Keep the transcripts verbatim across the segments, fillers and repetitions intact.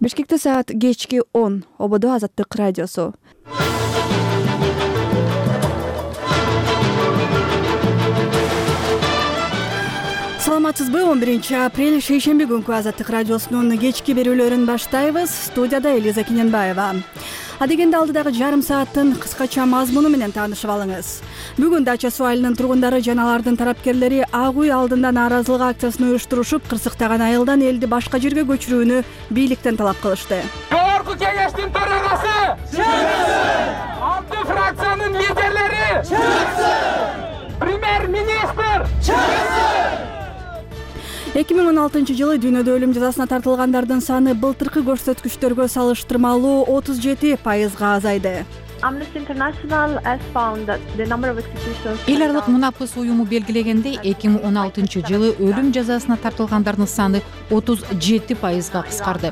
Бишкекте саат кечки он. Ободо Азаттык радиосу. Саламатсызбы? он биринчи апрель шейшемби күнкү Азаттык радиосунун кечки берүүлөрүн баштайбыз. Студияда Элиза Киненбаева. Адегенде алдыдагы жарым сааттын кыскача мазмуну менен таанышып алыңыз. Бүгүн Дача суу айылынын тургундары жана алардын тарапкерлери Ак үй алдында нааразылык акциясын уюштурушуп, кырсыктаган айылдан элди башка жерге көчүрүүнү бийликтен талап кылышты. Жогорку кеңештин төрагасы чыксын! Алты фракциянын лидерлери чыксын! Премьер-министр чыксын! эки миң он алтынчы жылы дүйнөдө өлүм жазасына тартылгандардын саны былтыркы көрсөткүчтөргө салыштырмалуу отуз жети пайызга азайды. Эл аралык мунапыс уюму белгилегендей, эки миң он алтынчы жылы өлүм жазасына тартылгандардын саны отуз жети пайызга кыскарды.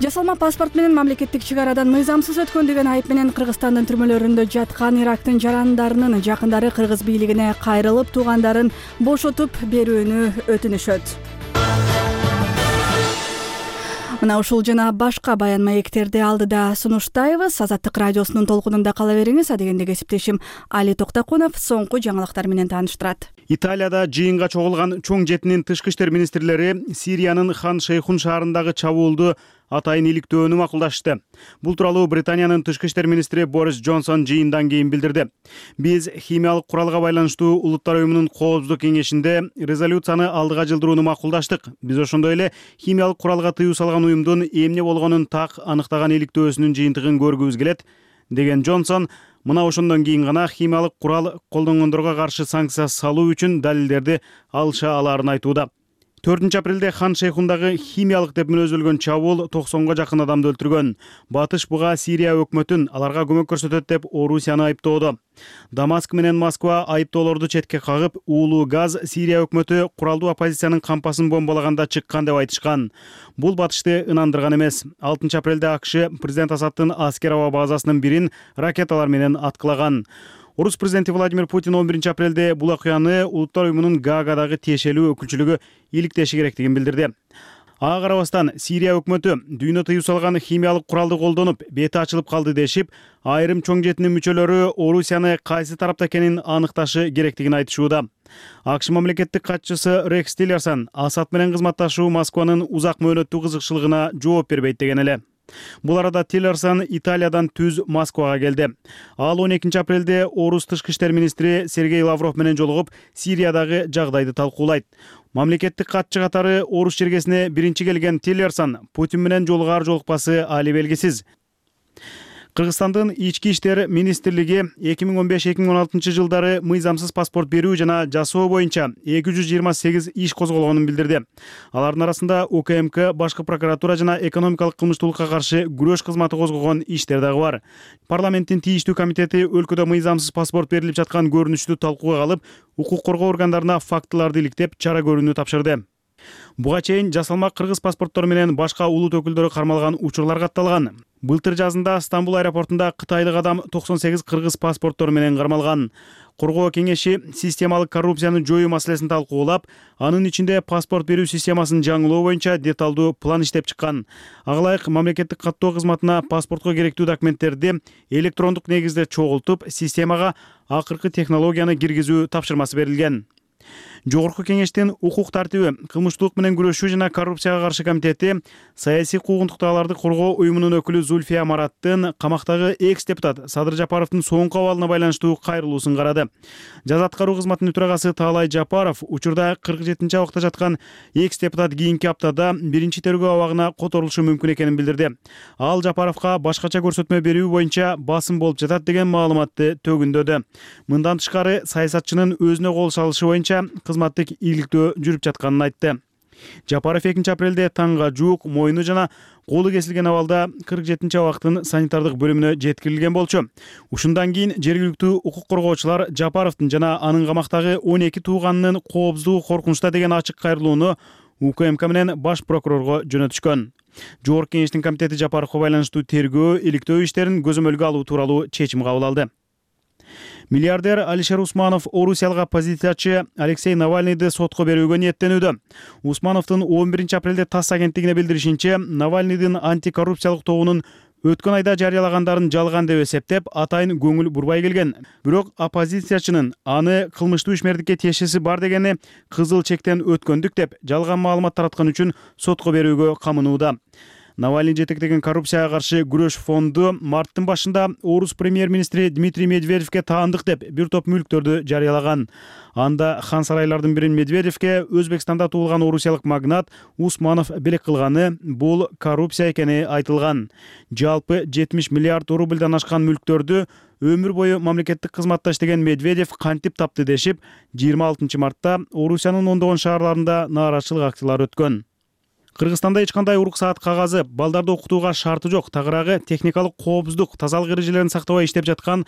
Жасалма паспорт менен мамлекеттик чек арадан мыйзамсыз өткөн деген айып менен Кыргызстандын түрмөлөрүндө жаткан Ирактын жарандарынын жакындары кыргыз бийлигине кайрылып, туугандарын бошотуп берүүнү өтүнүшөт. Мына ушул жана башка баян маектерди алдыда сунуштайбыз. Азаттык радиосунун толкунунда кала бериңиз. Адегенде кесиптешим Али Токтакунов соңку жаңылыктар менен тааныштырат. Италияда жыйынга чогулган чоң жетинин тышкы иштер министрлери Сириянын Хан Шейхун шаарындагы чабуулду атайын иликтөөнү макулдашты. Бул тууралуу Британиянын тышкы иштер министри Борис Джонсон жыйындан кийин билдирди. Биз химиялык куралга байланыштуу Улуттар уюмунун коопсуздук кеңешинде резолюцияны алдыга жылдырууну макулдаштык. Биз ошондой эле химиялык куралга тыюу салган уюмдун эмне болгонун так аныктаган иликтөөсүнүн жыйынтыгын көргүбүз келет, деген Джонсон мына ошондон кийин гана химиялык курал колдонгондорго каршы санкция салуу үчүн далилдерди алыша алаарын айтууда. төртүнчү апрелде Хан Шейхундагы химиялык деп мүнөздөлгөн чабуул токсонго жакын адамды өлтүргөн. Батыш буга Сирия өкмөтүн аларга көмөк көрсөтөт деп Орусияны айыптоодо. Дамаск менен Москва айыптоолорду четке кагып, уулуу газ Сирия өкмөтү куралдуу оппозициянын кампасын бомбалаганда чыккан деп айтышкан. Бул батышты ынандырган эмес. алтынчы апрелде АКШ президент Асадтын аскер аба базасынын бирин ракеталар менен аткылаган. Орус президенти Владимир Путин он биринчи апрелде бул окуяны Улуттар уюмунун Гаагадагы тиешелүү өкүлчүлүгү иликтеши керектигин билдирди. Ага карабастан Сирия өкмөтү дүйнө тыюу салган химиялык куралды колдонуп, бети ачылып калды дешип, айрым чоң жетинин мүчөлөрү Орусияны кайсы тарапта экенин аныкташы керектигин айтышууда. АКШ мамлекеттик катчысы Рекс Тиллерсон Асад менен кызматташуу Москванын узак мөөнөттүү кызыкчылыгына жооп бербейт деген эле. Бул арада Тиллерсон Италиядан түз Москвага келди. Ал он экинчи апрелде Орус тышкы иштер министри Сергей Лавров менен жолугуп, Сириядагы жагдайды талкуулайт. Мамлекеттик катчы катары Орус чергесине биринчи келген Тиллерсон Путин менен жолугар жолукпасы али белгисиз. Кыргызстандын ички иштер министрлиги эки миң он беш эки миң он алтынчы жылдары мыйзамсыз паспорт берүү жана жасоо боюнча эки жүз жыйырма сегиз иш козголгонун билдирди. Алардын арасында УКМК, башкы прокуратура жана экономикалык кылмыштуулукка каршы күрөш кызматы козгогон иштер дагы бар. Парламенттин тийиштүү комитети өлкөдө мыйзамсыз паспорт берилип жаткан көрүнүштү талкууга алып, укук коргоо органдарына фактыларды иликтеп, чара көрүүнү тапшырды. Буга чейин жасалма кыргыз паспорттору менен башка улут өкүлдөрү кармалган учурлар катталган. Былтыр жазында Стамбул аэропортунда кытайлык адам токсон сегиз кыргыз паспорттору менен кармалган. Коргоо кеңеши системалык коррупцияны жоюу маселесин талкуулап, анын ичинде паспорт берүү системасын жаңылоо боюнча деталдуу план иштеп чыккан. Ага ылайык мамлекеттик каттоо кызматына паспортко керектүү документтерди электрондук негизде чогултуп, системага акыркы технологияны киргизүү тапшырмасы берилген. Жогорку кеңештин укук тартиби, кылмыштуулук менен күрөшүү жана коррупцияга каршы комитети саясий куугунтуктааларды коргоо уюмунун өкүлү Зульфия Мараттын камактагы экс-депутат Садыр Жапаровдун соңку абалына байланыштуу кайрылуусун карады. Жаза аткаруу кызматынын төрагасы Таалай Жапаров учурда кырк жетинчи абакта жаткан экс-депутат кийинки аптада биринчи тергөө абагына которулушу мүмкүн экенин билдирди. Ал Жапаровго башкача көрсөтмө берүү боюнча басым болуп жатат деген маалыматты төгүндөдү. Мындан тышкары саясатчынын өзүнө кол салышы боюнча кызматтык иликтөө жүрүп жатканын айтты. Жапаров экинчи апрелде таңга жуук мойну жана колу кесилген абалда кырк жетинчи абактын санитардык бөлүмүнө жеткирилген болчу. Ушундан кийин жергиликтүү укук коргоочулар Жапаровдун жана анын камактагы он эки тууганынын коопсуздугу коркунучта деген ачык кайрылууну УКМК менен баш прокурорго жөнөтүшкөн. Жогорку кеңештин комитети Жапаровго байланыштуу тергөө, иликтөө иштерин көзөмөлгө алуу тууралуу чечим кабыл алды. Миллиардер Алишер Усманов орусиялык оппозициячы Алексей Навальныйды сотко берүүгө ниеттенүүдө. Усмановдун он биринчи апрелде ТАСС агенттигине билдиришинче, Навальныйдын антикоррупциялык тобунун өткөн айда жарыялагандарын жалган деп эсептеп, атайын көңүл бурбай келген. Бирок оппозициячынын аны кылмыштуу ишмердикке тиешеси бар дегени кызыл чектен өткөндүк деп жалган маалымат тараткан үчүн сотко берүүгө камынууда. Навальный жетектеген коррупцияга каршы күрөш фонду марттын башында орус премьер-министри Дмитрий Медведевке таандык деп бир топ мүлктөрдү жарыялаган. Анда хан сарайлардын бирин Медведевке Өзбекстанда туулган орусиялык магнат Усманов белек кылганы, бул коррупция экени айтылган. Жалпы жетимиш миллиард рубльдан ашкан мүлктөрдү өмүр бою мамлекеттик кызматта иштеген Медведев кантип тапты дешип, жыйырма алтынчы мартта Орусиянын ондогон шаарларында нааразычылык акциялары өткөн. Кыргызстанда эч кандай уруксаат кагазы, балдарды окутууга шарты жок, тагыраагы техникалык коопсуздук, тазалык эрежелерин сактабай иштеп жаткан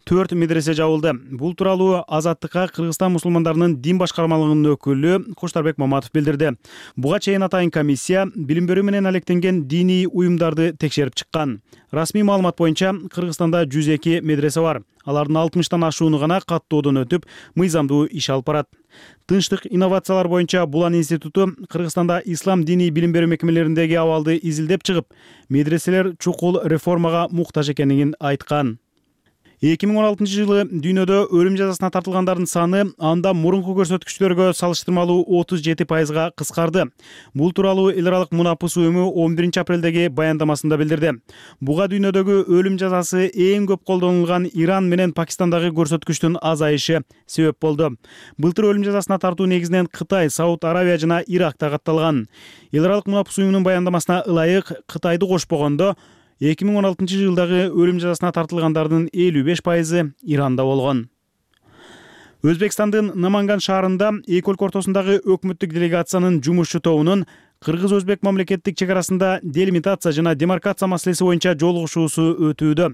төрт медресе жабылды. Бул тууралуу Азаттыкка Кыргызстан мусулмандарынын дин башкармалыгынын өкүлү Коштарбек Маматов билдирди. Буга чейин атайын комиссия билим берүү менен алектенген диний уюмдарды текшерип чыккан. Расмий маалымат боюнча Кыргызстанда жүз эки медресе бар. Алардын алтымыштан ашууну гана каттоодон өтүп, мыйзамдуу иш алып барат. Тынчтык инновациялар боюнча Булан институту Кыргызстанда ислам диний билим берүү мекемелериндеги абалды изилдеп чыгып, медреселер чукул реформага муктаж экенин айткан. эки миң он алтынчы жылы дүйнөдө өлүм жазасына тартылгандардын саны анда мурунку көрсөткүчтөргө салыштырмалуу отуз жети пайызга кыскарды. Бул тууралуу эл аралык Мунапыс уюму он биринчи апрелдеги баяндамасында билдирди. Буга дүйнөдөгү өлүм жазасы эң көп колдонулган Иран менен Пакистандагы көрсөткүчтүн азайышы себеп болду. Былтыр өлүм жазасына тартуу негизинен Кытай, Сауд Аравия жана Иракта катталган. Эл аралык Мунапыс уюмунун баяндамасына ылайык Кытайды кошпогондо эки миң он алтынчы жылдагы өлүм жазасына тартылгандардын элүү беш пайызы Иранда болгон. Өзбекстандын Наманган шаарында эки өлкө ортосундагы өкмөттүк делегациянын жумушчу тобунун Кыргыз-Өзбек мамлекеттик чек арасында делимитация жана демаркация маселеси боюнча жолугушуусу өтүүдө.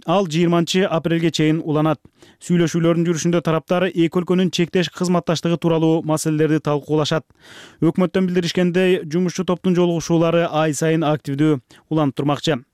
Ал жыйырманчы апрелге чейин уланат. Сүйлөшүүлөрдүн жүрүшүндө тараптар эки өлкөнүн чектеш кызматташтыгы тууралуу маселелерди талкуулашат. Өкмөттөн билдиришкендей, жумушчу топтун жолугушуулары ай сайын активдүү уланып турмакчы.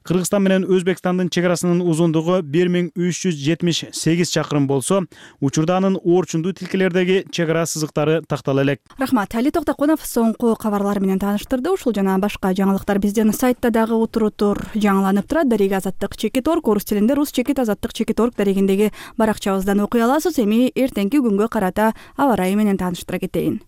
Кыргызстан менен Өзбекстандын чек арасынын узундугу бир миң үч жүз жетимиш сегиз чакырым болсо, учурда анын орчундуу тилкелердеги чек ара сызыктары тактала элек. Рахмат, Али Токтокунов соңку кабарлар менен тааныштырды. Ушул жана башка жаңылыктар биздин сайтта дагы утурутур жаңыланып турат. Дареги азаттык чекит орг, орус тилинде рус чекит азаттык чекит орг дарегиндеги баракчабыздан окуй аласыз. Эми эртеңки күнгө карата аба ырайы менен тааныштыра кетейин.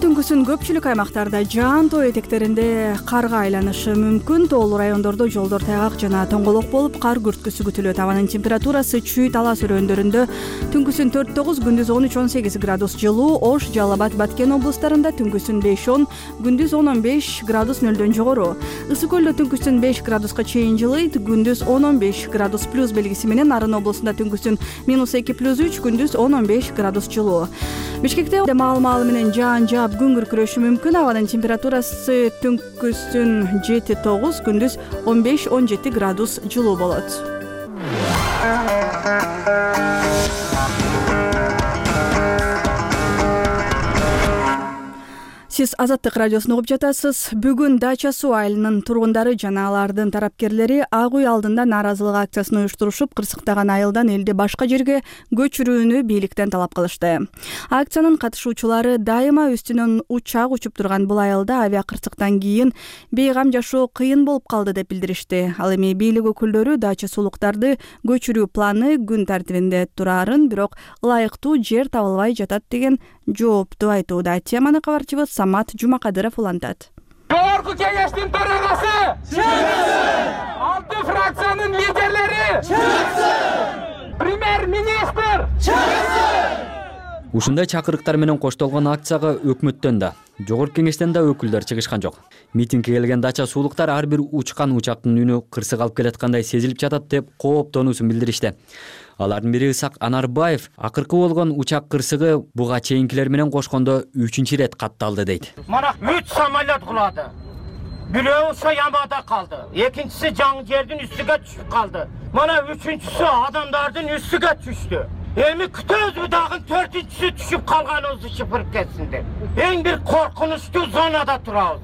Түнкүсүн көпчүлүк аймактарда жаан тоо этектеринде карга айланышы мүмкүн. Тоолуу райондордо жолдор тайгак жана тоңголок болуп, кар күрткүсү күтүлөт. Абанын температурасы Чүй, Талас өрөөндөрүндө түнкүсүн төрт тогуз, күндүз он үч он сегиз градус жылуу. Ош, Жалал Абад, Баткен облустарында түнкүсүн беш он, күндүз он он беш градус нөлдөн жогору. Ысык көлдө түнкүсүн беш градуска чейин жылыйт, күндүз он он беш градус плюс белгиси менен. Нарын облусунда түнкүсүн минус эки плюс үч, күндүз он он беш градус жылуу. Бишкекте маал-маалы менен жаан жаап күн күркүрөшү мүмкүн. Абанын температурасы түнкүсүн жети тогуз, күндүз он беш он жети градус жылуу болот. Сиз Азаттык радиосун угуп жатасыз. Бүгүн Дача суу айылынын тургундары жана алардын тарапкерлери Ак үй алдында нааразылык акциясын уюштурушуп, кырсыктаган айылдан элди башка жерге көчүрүүнү бийликтен талап кылышты. Акциянын катышуучулары дайыма үстүнөн учак учуп турган бул айылда авиа кырсыктан кийин бейгам жашоо кыйын болуп калды деп билдиришти. Ал эми бийлик өкүлдөрү Дача суулуктарды көчүрүү планы күн тартибинде турарын, бирок ылайыктуу жер табылбай жатат деген жоопту айтууда. Теманы кабарчыбыз Самат Жумакадыров улантат. Жогорку кеңештин төрагасы чыксын! Алты фракциянын лидерлери чыксын! Премьер-министр чыксын! Ушундай чакырыктар менен коштолгон акцияга өкмөттөн да, жогорку кеңештен да өкүлдөр чыгышкан жок. Митингге келген Дача суулуктар ар бир учкан учактын үнү кырсык алып келаткандай сезилип жатат деп кооптонуусун билдиришти. Алардын бири Ысак Анарбаев акыркы болгон учак кырсыгы буга чейинкилер менен кошкондо үчүнчү ирет катталды дейт. Мана үч самолет кулады. Бирөө Ямада калды, экинчиси жаңы жердин үстүгө түшүп калды. Мана үчүнчүсү адамдардын үстүгө түштү. Эми күтөбүз дагы төртүнчүсү түшүп калганыбызды чыпырып кетсин деп. Эң бир коркунучтуу зонада турабыз.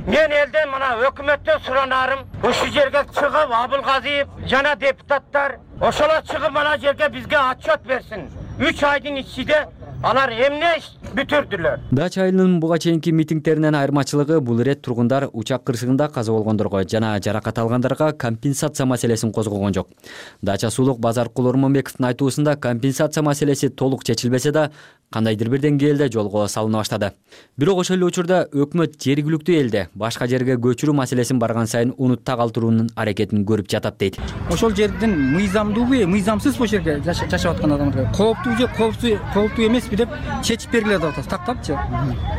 Мен элден мына өкмөттөн суранарым, ушул жерге чыгып Абылгазиев жана депутаттар ошолор чыгып мына жерге бизге отчет берсин. үч айдын ичинде алар эмне иш бүтүрдүлөр. Дача айылынын буга чейинки митингдеринен айырмачылыгы бул ирет тургундар учак кырсыгында каза болгондорго жана жаракат алгандарга компенсация маселесин козгогон жок. Дача суулук Базар Кулурманбековдун айтуусунда компенсация маселеси толук чечилбесе да, кандайдыр бир деңгээлде жолго салына баштады. Бирок ошол эле учурда өкмөт жергиликтүү элде башка жерге көчүрүү маселесин барган сайын унутта калтыруунун аракетин көрүп жатат дейт. Ошол жердин мыйзамдуубу, мыйзамсызбы ошол жерге жашап аткан адамдарга кооптуу же кооптуу кооптуу эмеспи деп чечип бергиле деп атат. Тактапчы.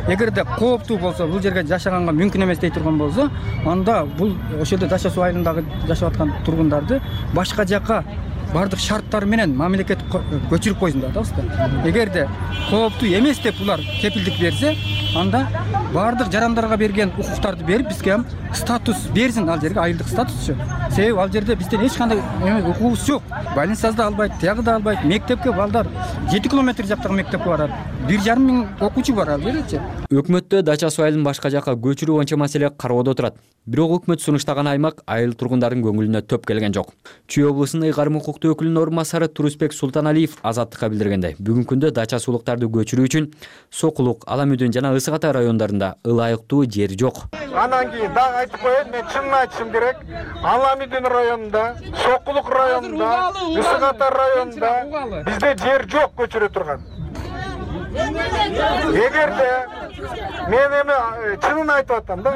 Эгерде кооптуу болсо, бул жерге жашаганга мүмкүн эмес дей турган болсо, анда бул ошолдо Дача суу айылындагы жашап аткан тургундарды башка жака бардык шарттары менен мамлекет көчүрүп койсун деп атабыз. Эгерде кооптуу эмес деп булар кепилдик берсе, анда бардык жарандарга берген укуктарды берип бизге ham статус берсин, ал жерге айылдык статусчу. Себеби ал жерде бизден эч кандай укугубуз жок. Больницада да албайт, тиягы да албайт. Мектепке балдар жети километр жактагы мектепке барат. бир жарым миң окуучу бар ал жерчи. Өкмөттө Дача суу айылын башка жака көчүрүү боюнча маселе кароодо турат. Бирок өкмөт сунуштаган аймак айыл тургундардын көңүлүнө төп келген жок. Чүй облусунун ыйгарым укуктуу өкүлүнүн орун басары Турусбек Султаналиев Азаттыкка билдиргендей, бүгүнкү күндө Дача суулуктарды көчүрүү үчүн Сокулук, Аламүдүн жана Ысык Ата райондорунда ылайыктуу жер жок. Анан кийин дагы айтып коеюн, мен чынын айтышым керек. Аламүдүн районунда, Сокулук районунда, Ысык Ата районунда бизде жер жок көчүрө турган. Эгерде мен эми чынын айтып атам да.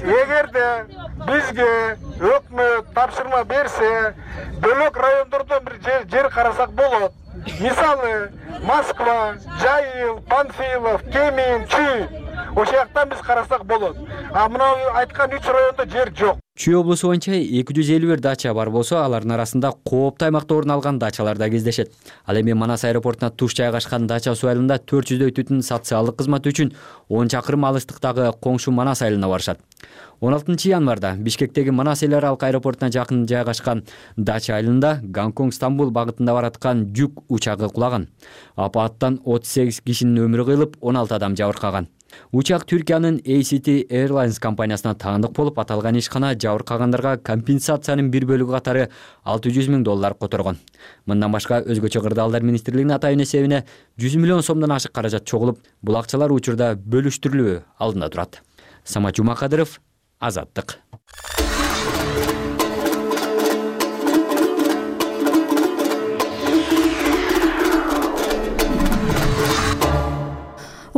Эгерде бизге өкмөт тапшырма берсе, бөлөк райондордон бир жер карасак болот. Мисалы, Москва, Жайыл, Панфилов, Кемин, Чүй. Ошол жактан биз карасак болот. А мына айткан үч райондо жер жок. Чүй облусу боюнча эки жүз элүү бир дача бар болсо, алардын арасында кооптуу аймакта орун алган дачалар да кездешет. Ал эми Манас аэропортуна туш жайгашкан Дача суу айылында төрт жүздөй түтүн социалдык кызмат үчүн он чакырым алыстыктагы коңшу Манас айылына барышат. он алтынчы январда Бишкектеги Манас эл аралык аэропортуна жакын жайгашкан Дача айылында Гонконг Стамбул багытында бараткан жүк учагы кулаган. Апаттан отуз сегиз кишинин өмүрү кыйылып, он алты адам жабыркаган. Учак Түркиянын A C T Airlines компаниясына таандык болуп, аталган ишкана жабыркагандарга компенсациянын бир бөлүгү катары алты жүз миң доллар которгон. Мындан башка өзгөчө кырдаалдар министрлигинин атайын эсебине жүз миллион сомдон ашык каражат чогулуп, бул акчалар учурда бөлүштүрүлүү алдында турат. Самат Жумакадыров, Азаттык.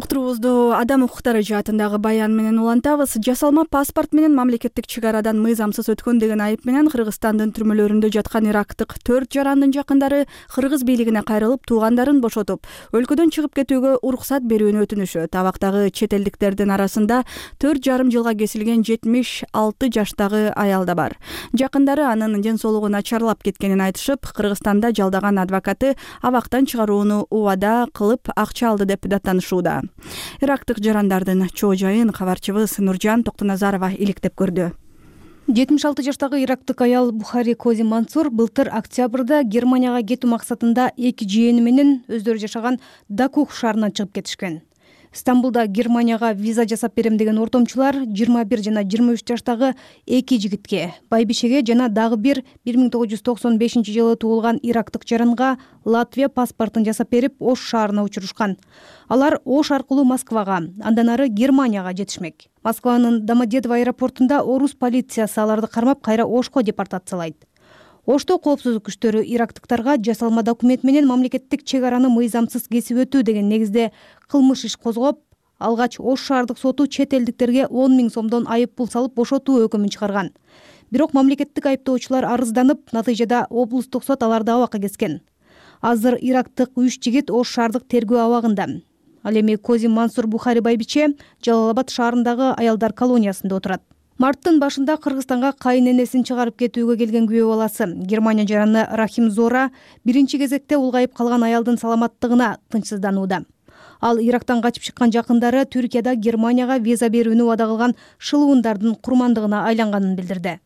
Уктуруубузду адам укуктары жаатындагы баян менен улантабыз. Жасалма паспорт менен мамлекеттик чек арадан мыйзамсыз өткөн деген айып менен Кыргызстандын түрмөлөрүндө жаткан ирактык төрт жарандын жакындары кыргыз бийлигине кайрылып, туугандарын бошотуп, өлкөдөн чыгып кетүүгө уруксат берүүнү өтүнүшөт. Абактагы чет элдиктердин арасында төрт жарым жылга кесилген жетимиш алты жаштагы аял да бар. Жакындары анын ден соолугу начарлап кеткенин айтышып, Кыргызстанда жалдаган адвокаты абактан чыгарууну убада кылып акча алды деп даттанышууда. Ирактык жарандардын чоо жайын кабарчыбыз Нуржан Токтоназарова иликтеп көрдү. жетимиш алты жаштагы ирактык аял Бухари Кози Мансур былтыр октябрда Германияга кетүү максатында эки жээни менен өздөрү жашаган Дакух шаарынан чыгып кетишкен. Стамбулда Германияга виза жасап берем деген ортомчулар жыйырма бир жана жыйырма үч жаштагы эки жигитке, байбишеге жана дагы бир бир миң тогуз жүз токсон бешинчи жылы туулган ирактык жаранга Латвия паспортун жасап берип, Ош шаарына учурушкан. Алар Ош аркылуу Москвага, андан ары Германияга жетишмек. Москванын Домодедово аэропортунда орус полициясы аларды кармап, кайра Ошко депортациялайт. Ошто коопсуздук күчтөрү ирактыктарга жасалма документ менен мамлекеттик чек араны мыйзамсыз кесип өтүү деген негизде кылмыш иш козгоп, алгач Ош шаардык соту чет элдиктерге он миң сомдон айып пул салып бошотуу өкүмүн чыгарган. Бирок мамлекеттик айыптоочулар арызданып, натыйжада облустук сот аларды абакка кескен. Азыр ирактык үч жигит Ош шаардык тергөө абагында. Ал эми Кози Мансур Бухари байбиче Жалал-Абад шаарындагы аялдар колониясында отурат. Марттын башында Кыргызстанга кайын-энесин чыгарып кетүүгө келген күбө баласы Германия жараны Рахим Зора биринчи кезекте улгайып калган аялдын саламаттыгына тынчсызданууда. Ал Ирактан качып чыккан жакындары Түркияда Германияга виза берүүнү убада кылган шылуундардын курмандыгына айланганын билдирди.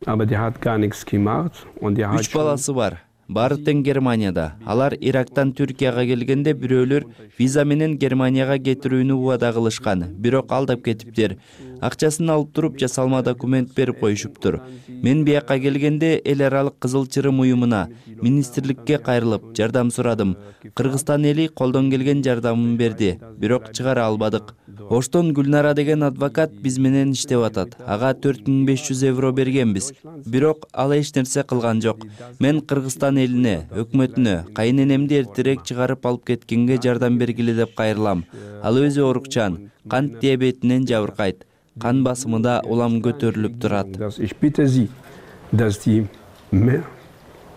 Үч баласы бар. Баары тең Германияда. Алар Ирактан Түркияга келгенде бирөөлөр виза менен Германияга кетирүүнү убада кылышкан, бирок алдап кетиптир. акчасын алып туруп жасалма документ берип коюшуптур. Мен бияка келгенде эл аралык Кызыл Чырым уюмуна, министрликке кайрылып жардам сурадым. Кыргызстан эли колдон келген жардамын берди, бирок чыгара албадык. Оштон Гүлнара деген адвокат биз менен иштеп атат. Ага төрт миң беш жүз евро бергенбиз. Бирок ал эч нерсе кылган жок. Мен Кыргызстан элине, өкмөтүнө, кайненемди эртерээк чыгарып алып кеткенге жардам бергиле деп кайрылам. Ал өзү оорукчан, кант диабетинен жабыркайт. Кан басымы да улам көтөрүлүп турат.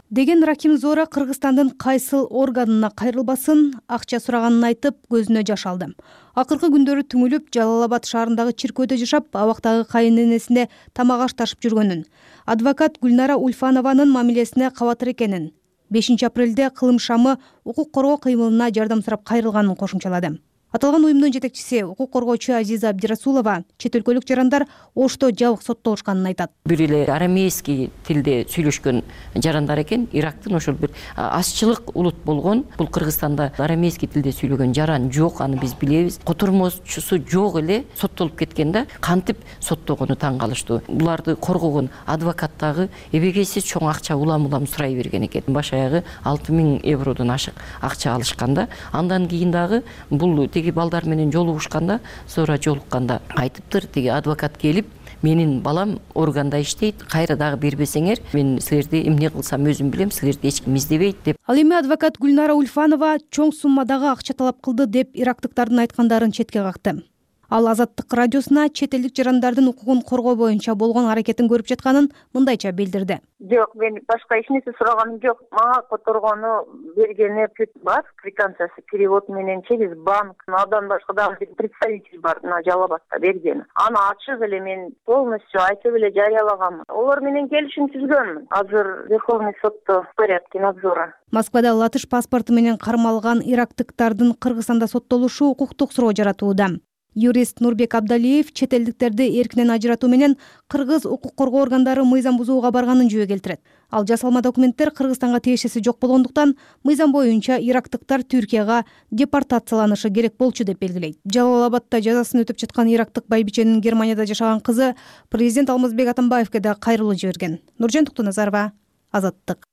Деген Рахим Зора Кыргызстандын кайсыл органына кайрылбасын, акча сураганын айтып, көзүнө жаш алды. Акыркы күндөрү түңүлүп, Жалал-Абад шаарындагы чиркөөдө жашап, абактагы кайненесине тамак аш ташып жүргөнүн, адвокат Гүлнара Ульфанованын мамилесине кабатыр экенин, бешинчи апрелде кылым шамы укук коргоо кыймылына жардам сурап кайрылганын кошумчалады. Аталган уюмдун жетекчиси, укук коргоочу Азиза Абдирасулова чет өлкөлүк жарандар Ошто жабык соттолушканын айтат. Бир эле арамейский тилде сүйлөшкөн жарандар экен. Ирактын ошол бир азчылык улут болгон. Бул Кыргызстанда арамейский тилде сүйлөгөн жаран жок, аны биз билебиз. Котормочусу жок эле соттолуп кеткен да, кантип соттогону таң калыштуу. Буларды коргогон адвокат дагы эбегейсиз чоң акча улам-улам сурай берген экен. Баш аягы алты миң евродон ашык акча алышканда, андан кийин дагы бул теги балдар менен жолугушканда, sonra жолукканда айтыптыр, теги адвокат келип, менин балам органда иштейт, кайра дагы бербесеңер, мен силерди эмне кылсам өзүм билем, силерди эч ким издебейт деп. Ал эми адвокат Гүлнара Ульфанова чоң суммадагы акча талап кылды деп ирактыктардын айткандарын четке какты. Ал Азаттык радиосуна чет элдик жарандардын укугун коргоо боюнча болгон аракетин көрүп жатканын мындайча билдирди. Жок, мен башка эч нерсе сураганым жок. Мага которгону бергени бар, квитанциясы, перевод мененче биз банк, андан башка дагы бир представитель бар, мына Жалал-Абадта берген. Аны ачык эле мен полностью айтып эле жарыялагам. Олар менен келишим түзгөнмүн. Азыр Верховный сотто в порядке надзора. Москвада латыш паспорту менен кармалган ирактыктардын Кыргызстанда соттолушу укуктук суроо жаратууда. Юрист Нурбек Абдалиев чет элдиктерди эркинен ажыратуу менен кыргыз укук коргоо органдары мыйзам бузууга барганын жөө келтирет. Ал жасалма документтер Кыргызстанга тиешеси жок болгондуктан мыйзам боюнча ирактыктар Түркияга депортацияланышы керек болчу деп белгилейт. Жалал-Абадта жазасын өтөп жаткан ирактык байбиченин Германияда жашаган кызы президент Алмазбек Атамбаевке да кайрылуу жиберген. Нуржан Токтоназарова, Азаттык.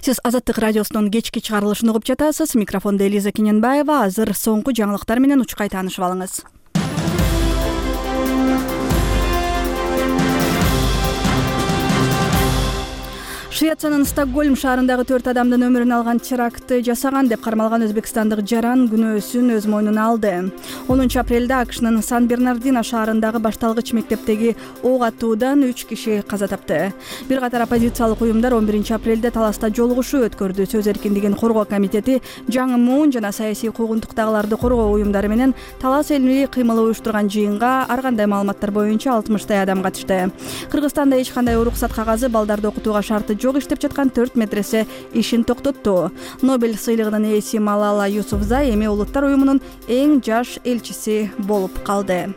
Сиз Азаттык радиосунун кечки чыгарылышын угуп жатасыз. Микрофондо Элиза Кененбаева. Азыр соңку жаңылыктар менен учкай таанышып алыңыз. Швециянын Стокгольм шаарындагы төрт адамдын өмүрүн алган терактты жасаган деп кармалган өзбекстандык жаран күнөөсүн өз мойнуна алды. онунчу апрелде АКШнын Сан-Бернардино шаарындагы башталгыч мектептеги ок атуудан үч киши каза тапты. Бир катар оппозициялык уюмдар он биринчи апрелде таласта жолугушуу өткөрдү. Сөз эркиндигин коргоо комитети Жаңы Муун жана саясий куугунтуктагыларды коргоо уюмдары менен талас элмилий кыймыл уюштурган жыйынга ар кандай маалыматтар боюнча алтымыштай адам катышты. Кыргызстанда эч кандай уруксат кагазы, балдарды окутууга шарты жок иштеп жаткан төрт медресе ишин токтотту. Нобель сыйлыгынын ээси Малала Юсуфзай эми улуттар уюмунун эң жаш элчиси болуп калды.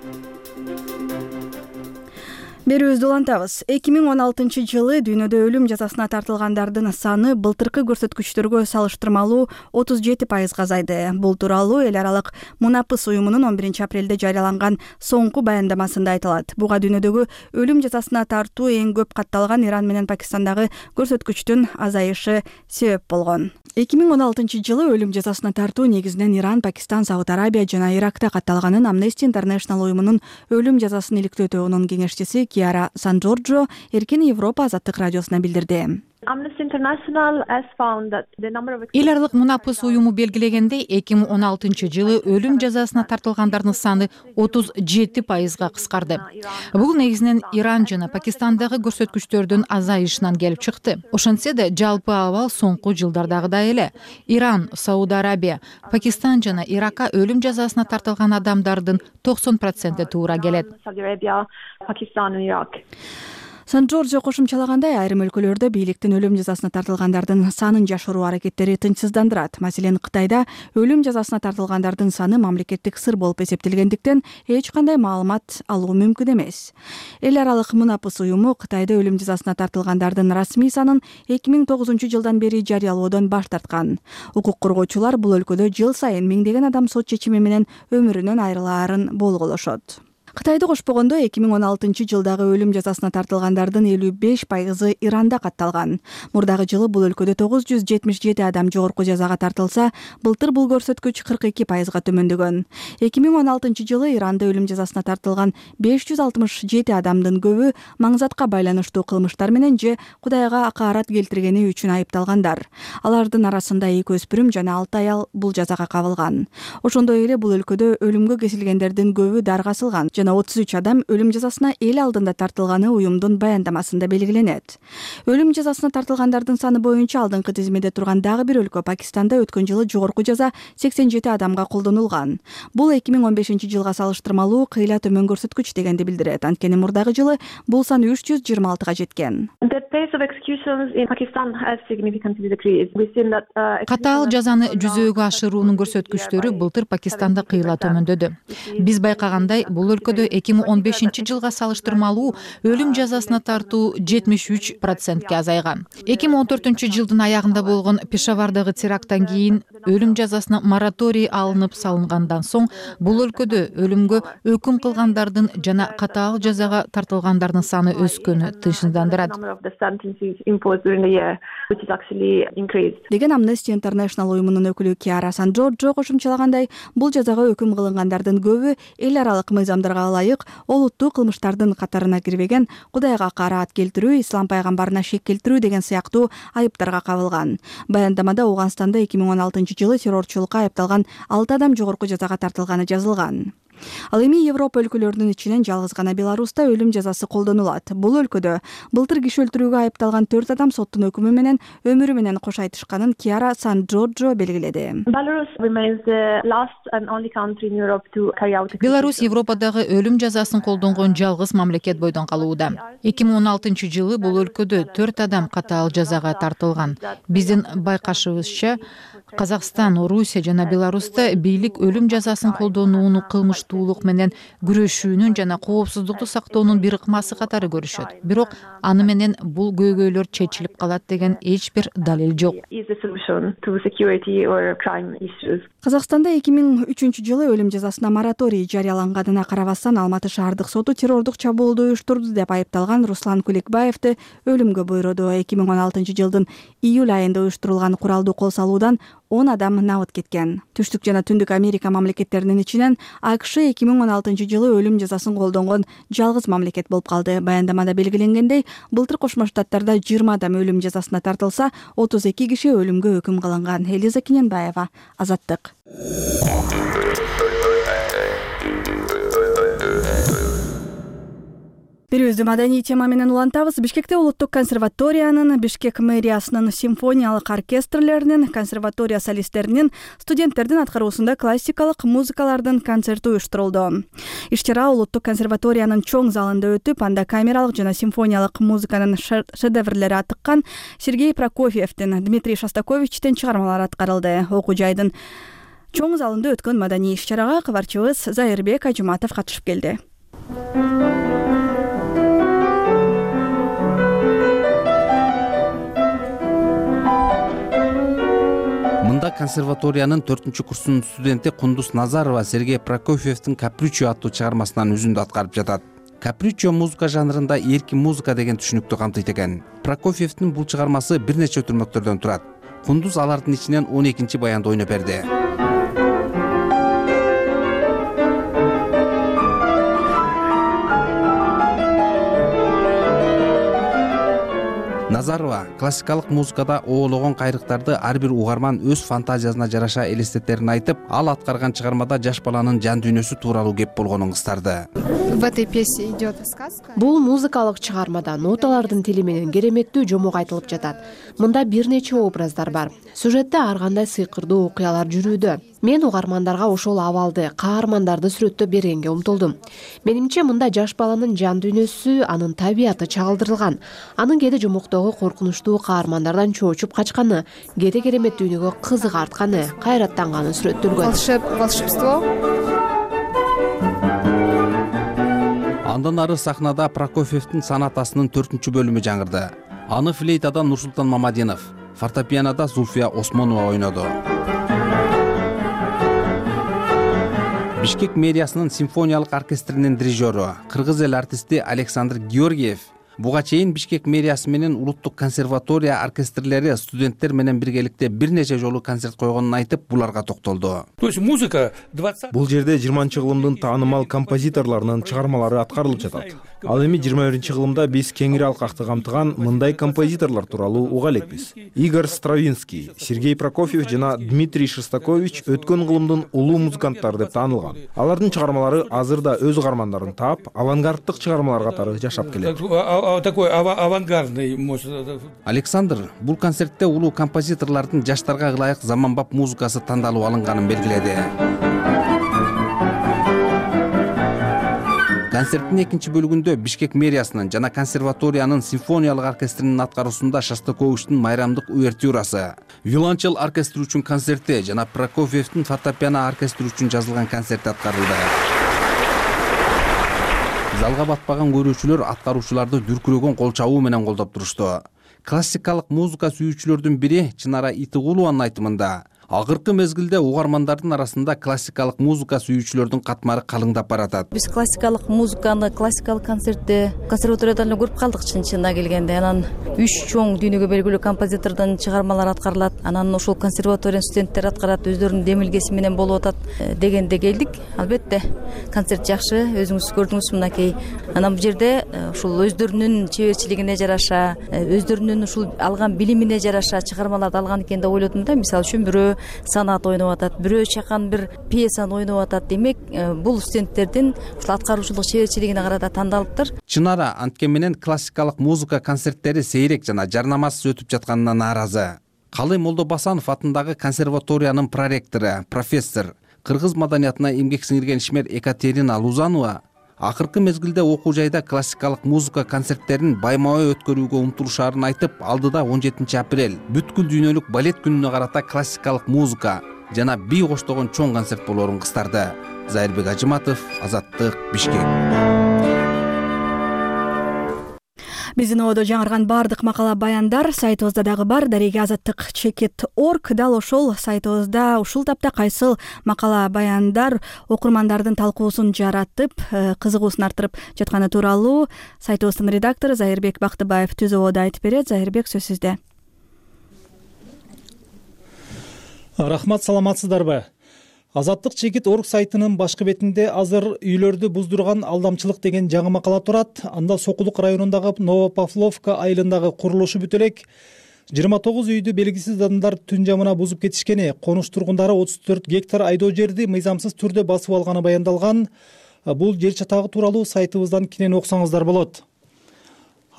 Берүүбүздү улантабыз. эки миң он алтынчы жылы дүйнөдө өлүм жазасына тартылгандардын саны былтыркы көрсөткүчтөргө салыштырмалуу отуз жети пайызга азайды. Бул тууралуу эл аралык Мунапыс уюмунун он биринчи апрелде жарыяланган соңку баяндамасында айтылат. Буга дүйнөдөгү өлүм жазасына тартуу эң көп катталган Иран менен Пакистандагы көрсөткүчтүн азайышы себеп болгон. эки миң он алтынчы жылы өлүм жазасына тартуу негизинен Иран, Пакистан, Сауд Арабия жана Иракта катталганын Amnesty International уюмунун өлүм жазасын иликтөө тобунун кеңешчиси Киара Сан-Джорджо Эркин Европа Азаттык радиосуна билдирди. Эл аралык Мунапыс уюму белгилегендей, эки миң он алтынчы жылы өлүм жазасына тартылгандардын саны отуз жети пайызга кыскарды. Бул негизинен Иран жана Пакистандагы көрсөткүчтөрдүн азайышынан келип чыкты. Ошентсе да жалпы абал соңку жылдардагыдай эле. Иран, Сауд Арабия, Пакистан жана Иракка өлүм жазасына тартылган адамдардын токсон проценти туура келет. Сан-Джорджо кошумчалагандай, айрым өлкөлөрдө бийликтин өлүм жазасына тартылгандардын санын жашыруу аракеттери тынчсыздандырат. Маселен, Кытайда өлүм жазасына тартылгандардын саны мамлекеттик сыр болуп эсептелгендиктен эч кандай маалымат алуу мүмкүн эмес. Эл аралык Мунапыс уюму Кытайда өлүм жазасына тартылгандардын расмий санын эки миң тогузунчу жылдан бери жарыялоодон баш тарткан. Укук коргоочулар бул өлкөдө жыл сайын миңдеген адам сот чечими менен өмүрүнөн айрылаарын болголошот. Кытайды кошпогондо эки миң он алтынчы жылдагы өлүм жазасына тартылгандардын элүү беш пайызы Иранда катталган. Мурдагы жылы бул өлкөдө тогуз жүз жетимиш жети адам жогорку жазага тартылса, былтыр бул көрсөткүч кырк эки пайызга төмөндөгөн. эки миң он алтынчы жылы Иранда өлүм жазасына тартылган беш жүз алтымыш жети адамдын көбү маңзатка байланыштуу кылмыштар менен же Кудайга акаарат келтиргени үчүн айыпталгандар. Алардын арасында эки өспүрүм жана алты аял бул жазага кабылган. Ошондой эле бул өлкөдө өлүмгө кесилгендердин көбү даргасылган жана отуз үч адам өлүм жазасына эл алдында тартылганы уюмдун баяндамасында белгиленет. Өлүм жазасына тартылгандардын саны боюнча алдыңкы тизмеде турган дагы бир өлкө Пакистанда өткөн жылы жогорку жаза сексен жети адамга колдонулган. Бул эки миң он бешинчи жылга салыштырмалуу кыйла төмөн көрсөткүч дегенди билдирет. Анткени мурдагы жылы бул сан үч жүз жыйырма алтыга жеткен. Катаал жазаны жүзөөгө ашыруунун көрсөткүчтөрү былтыр Пакистанда кыйла төмөндөдү. Биз байкагандай, бул өлкөдө эки миң он бешинчи жылга салыштырмалуу өлүм жазасына тартуу жетимиш үч процентке азайган. эки миң он төртүнчү жылдын аягында болгон Пешавардагы теракттан кийин өлүм жазасына мораторий алынып салынгандан соң бул өлкөдө өлүмгө өкүм кылгандардын жана катаал жазага тартылгандардын саны өскөнү тынчсыздандырат деген Amnesty International уюмунун өкүлү Киара Сан-Джорджо кошумчалагандай, бул жазага өкүм кылынгандардын көбү эл аралык мыйзамдарга ылайык олуттуу кылмыштардын катарына кирбеген, Кудайга акаарат келтирүү, ислам пайгамбарына шек келтирүү деген сыяктуу айыптарга кабылган. Баяндамада Ооганстанда эки миң он алтынчы жылы террорчулукка айыпталган алты адам жогорку жазага тартылганы жазылган. Ал эми Европа өлкөлөрүнүн ичинен жалгыз гана Беларуста өлүм жазасы колдонулат. Бул өлкөдө былтыр киши өлтүрүүгө айыпталган төрт адам соттун өкүмү менен өмүрү менен кош айтышканын Киара Сан-Джорджо белгиледи. Беларусь Европадагы өлүм жазасын колдонгон жалгыз мамлекет бойдон калууда. эки миң он алтынчы жылы бул өлкөдө төрт адам катаал жазага тартылган. Биздин байкашыбызча, Казакстан, Орусия жана Беларуста бийлик өлүм жазасын колдонууну кылмыштуулук менен күрөшүүнүн жана коопсуздукту сактоонун бир ыкмасы катары көрүшөт. Бирок аны менен бул көйгөйлөр чечилип калат деген эч бир далил жок. Казакстанда эки миң үчүнчү жылы өлүм жазасына мораторий жарыяланганына карабастан Алматы шаардык соту террордук чабуулду уюштурду деп айыпталган Руслан Куликбаевди өлүмгө буйруду. эки миң он алтынчы жылдын июль айында уюштурулган куралдуу кол салуудан он адам набыт кеткен. Түштүк жана Түндүк Америка мамлекеттеринин ичинен АКШ эки миң он алтынчы жылы өлүм жазасын колдонгон жалгыз мамлекет болуп калды. Баяндамада белгиленгендей, былтыр Кошмо Штаттарда жыйырма адам өлүм жазасына тартылса, отуз эки киши өлүмгө өкүм кылынган. Элиза Киненбаева, Азаттык. Бирибизди маданий тема менен улантабыз. Бишкекте Улуттук консерваториянын, Бишкек мэриясынын симфониялык оркестрлеринин, консерватория солисттеринин, студенттердин аткаруусунда классикалык музыкалардын концерти уюштурулду. Иш-чара Улуттук консерваториянын чоң залында өтүп, анда камералык жана симфониялык музыканын шедеврлери атыккан Сергей Прокофьевдин, Дмитрий Шостаковичтин чыгармалары аткарылды. Окуу жайдын чоң залында өткөн маданий иш-чарага кабарчыбыз Зайырбек Ажуматов катышып келди. Мында консерваториянын төртүнчү курсунун студенти Кундуз Назарова Сергей Прокофьевдин «Капричо» аттуу чыгармасынан үзүндү аткарып жатат. Капричо музыка жанрында эркин музыка деген түшүнүктү камтыйт экен. Прокофьевдин бул чыгармасы бир нече өтүрмөктөрдөн турат. Кундуз алардын ичинен он экинчи баянды ойноп берди. Назарова классикалык музыкада оологон кайрыктарды ар бир угарман өз фантазиясына жараша элестетерин айтып, ал аткарган чыгармада жаш баланын жан дүйнөсү тууралуу кеп болгонун кыстарды. В этой пьесе идет сказка. Бул музыкалык чыгармада ноталардын тили менен кереметтүү жомок айтылып жатат. Мында бир нече образдар бар. Сюжетте ар кандай сыйкырдуу окуялар жүрүүдө. Мен угармандарга ошол абалды, каармандарды сүрөттөп бергенге умтулдум. Менимче мында жаш баланын жан дүйнөсү, анын табияты чагылдырылган. Анын кээде жомоктогу коркунучтуу каармандардан чоочуп качканы, кээде керемет дүйнөгө кызык артканы, кайраттанганы сүрөттөлгөн. Волшебство. Андан ары сахнада Прокофьевдин сонатасынын төртүнчү бөлүмү жаңырды. Аны флейтадан Нурсултан Мамадинов, фортепианода Зульфия Осмонова ойноду. Бишкек мэриясынын симфониялык оркестринин дирижеру, кыргыз эл артисти Александр Георгиев буга чейин Бишкек мэриясы менен улуттук консерватория оркестрлери студенттер менен биргеликте бир нече жолу концерт койгонун айтып, буларга токтолду. То есть музыка бул жерде жыйырманчы кылымдын таанымал композиторлорунун чыгармалары аткарылып жатат. Ал эми жыйырма биринчи кылымда биз кеңири алкакты камтыган мындай композиторлор тууралуу уга элекпиз. Игорь Стравинский, Сергей Прокофьев жана Дмитрий Шостакович өткөн кылымдын улуу музыканттары деп таанылган. Алардын чыгармалары азыр да өз каармандарын таап, авангарддык чыгармалар катары жашап келет. Такой авангардный. Александр бул концертте улуу композиторлордун жаштарга ылайык заманбап музыкасы тандалып алынганын белгиледи. Концерттин экинчи бөлүгүндө Бишкек мэриясынын жана консерваториянын симфониялык оркестринин аткаруусунда Шостаковичтин майрамдык увертюрасы, виолончел оркестри үчүн концерти жана Прокофьевдин фортепиано оркестри үчүн жазылган концерти аткарылды. Залга батпаган көрүүчүлөр аткаруучуларды дүркүрөгөн кол чабуу менен колдоп турушту. Классикалык музыка сүйүүчүлөрдүн бири Чынара Итыгулованын айтымында, акыркы мезгилде угармандардын арасында классикалык музыка сүйүүчүлөрдүн катмары калыңдап баратат. Биз классикалык музыканы, классикалык концертти консерваториядан эле көрүп калдык чын чынына келгенде. Анан үч чоң дүйнөгө белгилүү композитордун чыгармалары аткарылат. Анан ошол консерваториянын студенттери аткарат, өздөрүнүн демилгеси менен болуп атат дегенде келдик. Албетте концерт жакшы, өзүңүз көрдүңүз мынакей. Анан бул жерде ушул өздөрүнүн чеберчилигине жараша, өздөрүнүн ушул алган билимине жараша чыгармаларды алган экен деп ойлодум да. Мисалы үчүн бирөө санат ойноп атат, бирөө чакан бир пьесаны ойноп атат. Демек, бул студенттердин ушул аткаруучулук чеберчилигине карата тандалыптыр. Чынара анткени менен классикалык музыка концерттери сейрек жана жарнамасыз өтүп жатканына нааразы. Калый Молдобасанов атындагы консерваториянын проректору, профессор, кыргыз маданиятына эмгек сиңирген ишмер Екатерина Лузанова акыркы мезгилде окуу жайда классикалык музыка концерттерин байма-бай өткөрүүгө умтулушаарын айтып, алдыда он жетинчи апрель бүткүл дүйнөлүк балет күнүнө карата классикалык музыка жана бий коштогон чоң концерт болоорун кыстарды. Зайырбек Ажыматов, Азаттык, Бишкек. Биздин одо жаңырган бардык макала баяндар сайтыбызда дагы бар. Дареге азаттык чекит точка орг. Дал ошол сайтыбызда ушул тапта кайсыл макала баяндар окурмандардын талкуусун жаратып, кызыгуусун арттырып жатканы тууралуу сайтыбыздын редактору Зайырбек Бактыбаев түз ободо айтып берет. Зайырбек, сөз сизде. Рахмат, саламатсыздарбы? Азаттык чекит точка орг сайтынын башкы бетинде азыр үйлөрдү буздурган алдамчылык деген жаңы макала турат. Анда Сокулук районундагы Новопавловка айылындагы курулушу бүт элек жыйырма тогуз үйдү белгисиз адамдар түн жамына бузуп кетишкени, конуш тургундары отуз төрт гектар айдоо жерди мыйзамсыз түрдө басып алганы баяндалган. Бул жер чатагы тууралуу сайтыбыздан кенен окусаңыздар болот.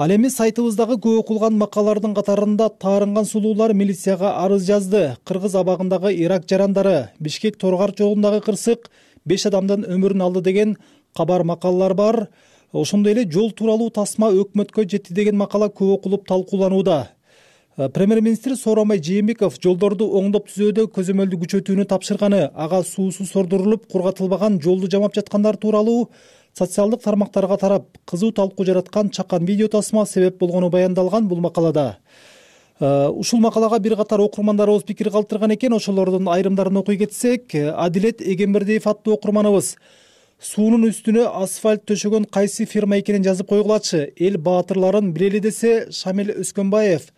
Ал эми сайтыбыздагы көп окулган макалалардын катарында таарынган сулуулар милицияга арыз жазды. Кыргыз абагындагы Ирак жарандары, Бишкек Торгар чогундагы кырсык беш адамдын өмүрүн алды деген кабар макалалар бар. Ошондой эле жол тууралуу тасма өкмөткө жетти деген макала көп окулуп талкууланууда. Премьер-министр Сооронбай Жээнбеков жолдорду оңдоп түзүүдө көзөмөлдү күчөтүүнү тапшырганы, ага суусу сордурулуп кургатылбаган жолду жамап жаткандар тууралуу социалдык тармактарга тарап кызуу талкуу жараткан чакан видео тасма себеп болгону баяндалган бул макалада. Ушул макалага бир катар окурмандарыбыз пикир калтырган экен. Ошолордун айрымдарын окуй кетсек, Адилет Эгембердиев аттуу окурманыбыз суунун үстүнө асфальт төшөгөн кайсы фирма экенин жазып койгулачы. Эл баатырларын билели десе Шамил Өскөнбаев.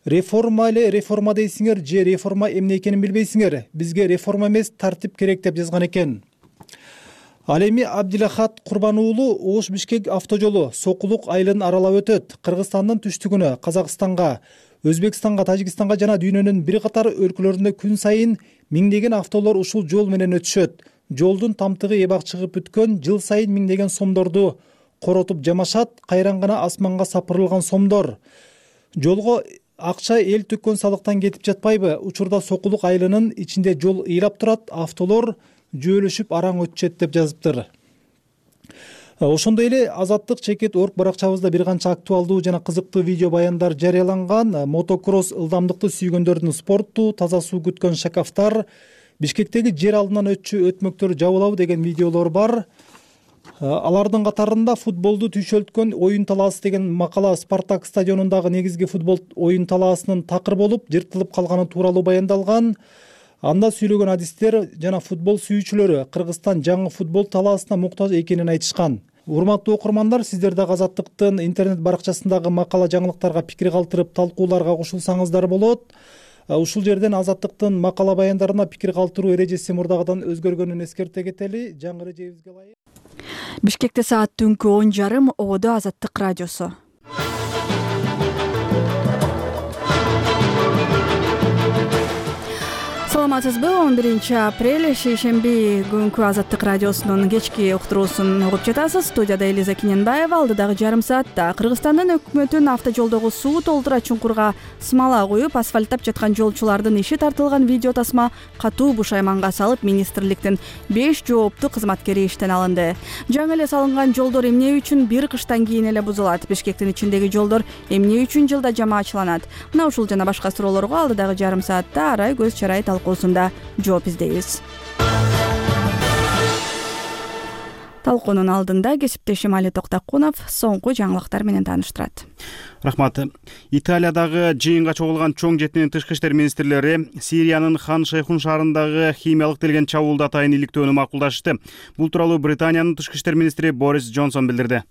Реформа эле реформа дейсиңер же реформа эмне экенин билбейсиңер. Бизге реформа эмес, тартип керек деп жазган экен. Ал эми Абдилахат Курбан уулу Ош Бишкек автожолу Сокулук айылын аралап өтөт. Кыргызстандын түштүгүнө, Казакстанга, Өзбекстанга, Тажикстанга жана дүйнөнүн бир катар өлкөлөрүндө күн сайын миңдеген автолор ушул жол менен өтүшөт. Жолдун тамтыгы эбак чыгып бүткөн, жыл сайын миңдеген сомдорду коротуп жамашат, кайран гана асманга сапырылган сомдор. Жолго акча эл төккөн салыктан кетип жатпайбы? Учурда Сокулук айылынын ичинде жол ыйлап турат, автолор жөөлөшүп араң өтүшөт деп жазыптыр. Ошондой эле Азаттык чекит точка орг баракчабызда бир канча актуалдуу жана кызыктуу видео баяндар жарыяланган. Мотокросс ылдамдыкты сүйгөндөрдүн спорту, таза суу күткөн шакафтар, Бишкектеги жер алдынан өтчү өтмөктөр жабылабы деген видеолор бар. Алардын катарында футболду түйшөлткөн оюн талаасы деген макала Спартак стадионундагы негизги футбол оюн талаасынын такыр болуп, жыртылып калганы тууралуу баяндалган. Анда сүйлөгөн адистер жана футбол сүйүүчүлөрү Кыргызстан жаңы футбол талаасына муктаж экенин айтышкан. Урматтуу окурмандар, сиздер дагы Азаттыктын интернет баракчасындагы макала жаңылыктарга пикир калтырып, талкууларга кошулсаңыздар болот. Ушул жерден Азаттыктын макала баяндарына пикир калтыруу эрежеси мурдагыдан өзгөргөнүн эскерте кетели. Жаңы эрежебизге ылайык. Бишкекте саат түнкү он жарым, Ободо Азаттык радиосу. Саламатсызбы? он биринчи апрель шейшемби күнкү Азаттык радиосунун кечки уктуруусун угуп жатасыз. Студияда Элиза Киненбаева. Алдыдагы жарым саатта Кыргызстандын өкмөтүн автожолдогу суу толтура чуңкурга смола куюп асфальттап жаткан жолчулардын иши тартылган видео тасма катуу бушайманга салып, министрликтин беш жооптуу кызматкери иштен алынды. Жаңы эле салынган жолдор эмне үчүн бир кыштан кийин эле бузулат? Бишкектин ичиндеги жолдор эмне үчүн жылда жамаачыланат? Мына ушул жана башка суроолорго алдыдагы жарым саатта арай көз чарай талкуусунда жооп издейбиз. Талкуунун алдында кесиптешим Али Токтакунов соңку жаңылыктар менен тааныштырат. Рахмат. Италиядагы жыйынга чогулган чоң жетинин тышкы иштер министрлери Сириянын Хан Шейхун шаарындагы химиялык делген чабуулду атайын иликтөөнү макулдашты. Бул тууралуу Британиянын тышкы иштер министри Борис Джонсон билдирди.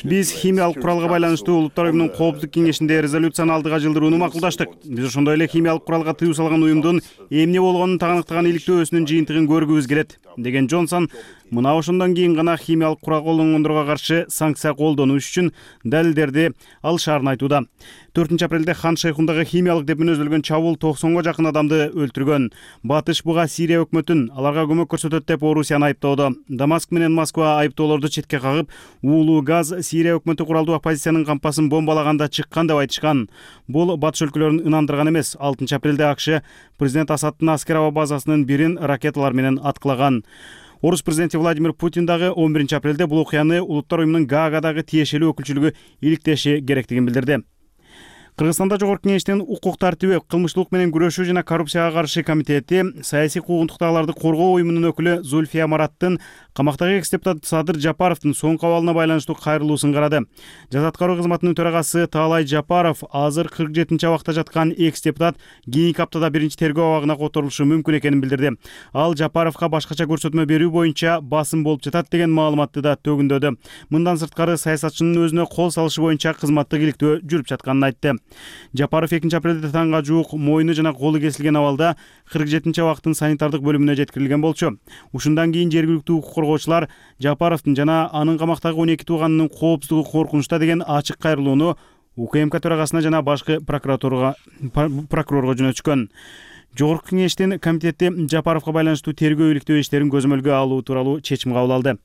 Биз химиялык куралга байланыштуу Улуттар уюмунун коопсуздук кеңешинде резолюцияны алдыга жылдырууну макулдаштык. Биз ошондой эле химиялык куралга тыюу салган уюмдун эмне болгонун тагыныктаган иликтөөсүнүн жыйынтыгын көргүбүз келет, деген Джонсон мына ошондон кийин гана химиялык курал колдонгондорго каршы санкция колдонуш үчүн далилдерди алышаарын айтууда. төртүнчү апрелде Хан Шейхундагы химиялык деп мүнөздөлгөн чабуул токсонго жакын адамды өлтүргөн. Батыш буга Сирия өкмөтүн аларга көмөк көрсөтөт деп Орусияны айыптоодо. Дамаск менен Москва айыптоолорду четке кагып, уулуу газ Сирия өкмөтү куралдуу оппозициянын кампасын бомбалаганда чыккан деп айтышкан. Бул батыш өлкөлөрүн ынандырган эмес. алтынчы апрелде АКШ президент Асадтын аскер аба базасынын бирин ракеталар менен аткылаган. Орус президенти Владимир Путин дагы он биринчи апрелде бул окуяны Улуттар уюмунун Гаагадагы тиешелүү өкүлчүлүгү иликтеши керектигин билдирди. Кыргызстанда Жогорку кеңештин укук тартиби, кылмыштуулук менен күрөшүү жана коррупцияга каршы комитети саясий куугунтуктагыларды коргоо уюмунун өкүлү Зульфия Мараттын камактагы экс-депутат Садыр Жапаровдун соңку абалына байланыштуу кайрылуусун карады. Жаза аткаруу кызматынын төрагасы Таалай Жапаров азыр кырк жетинчи абакта жаткан экс-депутат кийинки аптада биринчи тергөө абагына которулушу мүмкүн экенин билдирди. Ал Жапаровго башкача көрсөтмө берүү боюнча басым болуп жатат деген маалыматты да төгүндөдү. Мындан сырткары саясатчынын өзүнө кол салышы боюнча кызматтык иликтөө жүрүп жатканын айтты. Жапаров экинчи апрелде таңга жуук мойну жана колу кесилген абалда кырк жетинчи абактын санитардык бөлүмүнө жеткирилген болчу. Ушундан кийин жергиликтүү укук коргоочулар Жапаровдун жана анын камактагы он эки тууганынын коопсуздугу коркунучта деген ачык кайрылууну УКМК төрагасына жана башкы прокуратурага прокурорго жөнөтүшкөн. Жогорку кеңештин комитети Жапаровго байланыштуу тергөө иликтөө иштерин көзөмөлгө алуу тууралуу чечим кабыл алды.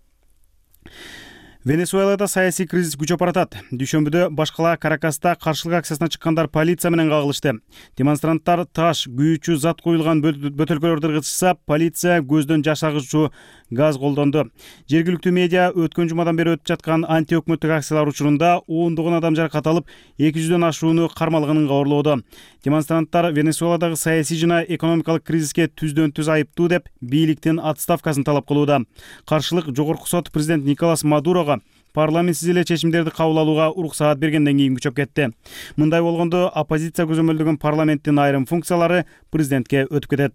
Венесуэлада саясий кризис күчөп баратат. Дүйшөмбүдө башкала Каракаста каршылык акциясына чыккандар полиция менен кагылышты. Демонстранттар таш, күйүүчү зат коюлган бөтөлкөлөрдү ыргытышса, полиция көздөн жаш агызчу газ колдонду. Жергиликтүү медиа өткөн жумадан бери өтүп жаткан анти-өкмөттүк акциялар учурунда ондогон адам жаракат алып, эки жүздөн ашууну кармалганын кабарлоодо. Демонстранттар Венесуэладагы саясий жана экономикалык кризиске түздөн түз айыптуу деп бийликтин отставкасын талап кылууда. Каршылык жогорку сот президент Николас Мадурого парламентсиз эле чечимдерди кабыл алууга уруксаат бергенден кийин күчөп кетти. Мындай болгондо оппозиция көзөмөлдөгөн парламенттин айрым функциялары президентке өтүп кетет.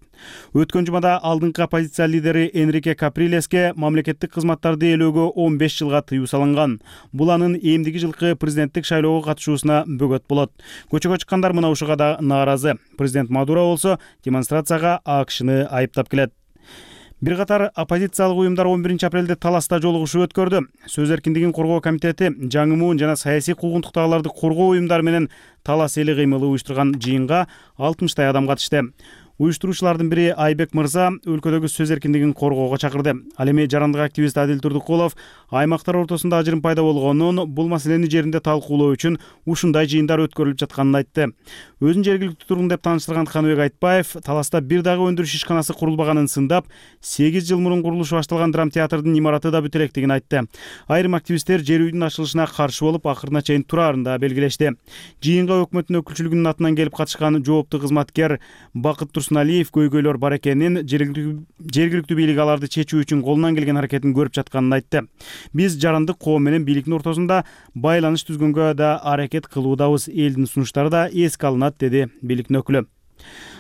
Өткөн жумада алдыңкы оппозиция лидери Энрике Каприлеске мамлекеттик кызматтарды ээлөөгө он беш жылга тыюу салынган. Бул анын эмдиги жылкы президенттик шайлоого катышуусуна бөгөт болот. Көчөгө чыккандар мына ушуга да нааразы. Президент Мадуро болсо демонстрацияга АКШны айыптап келет. Бир катар оппозициялык уюмдар он биринчи апрелде Таласта жолугушуу өткөрдү. Сөз эркиндигин коргоо комитети жаңы муун жана саясий куугунтуктагыларды коргоо уюмдары менен талас эли кыймылы уюштурган жыйынга алтымыштай адам катышты. Уюштуруучулардын бири Айбек мырза өлкөдөгү сөз эркиндигин коргоого чакырды. Ал эми жарандык активист Адил Турдукулов аймактар ортосунда ажырым пайда болгонун, бул маселени жеринде талкуулоо үчүн ушундай жыйындар өткөрүлүп жатканын айтты. Өзүн жергиликтүү тургун деп тааныштырган Каныбек Айтбаев Таласта бир дагы өндүрүш ишканасы курулбаганын сындап, сегиз жыл мурун курулушу башталган драм театрдын имараты да бүтө электигин айтты. Айрым активисттер жер үйдүн ачылышына каршы болуп, акырына чейин тураарын да белгилешти. Жыйынга өкмөттүн өкүлчүлүгүнүн атынан келип катышкан жооптуу кызматкер Бакыт Турсуналиев көйгөйлөр бар экенин, жергиликтүү бийлик аларды чечүү үчүн колунан келген аракетин көрүп жатканын айтты. Биз жарандык коом менен бийликтин ортосунда байланыш түзгөнгө да аракет кылуудабыз, элдин сунуштары да эске алынат, деди бийликтин өкүлү.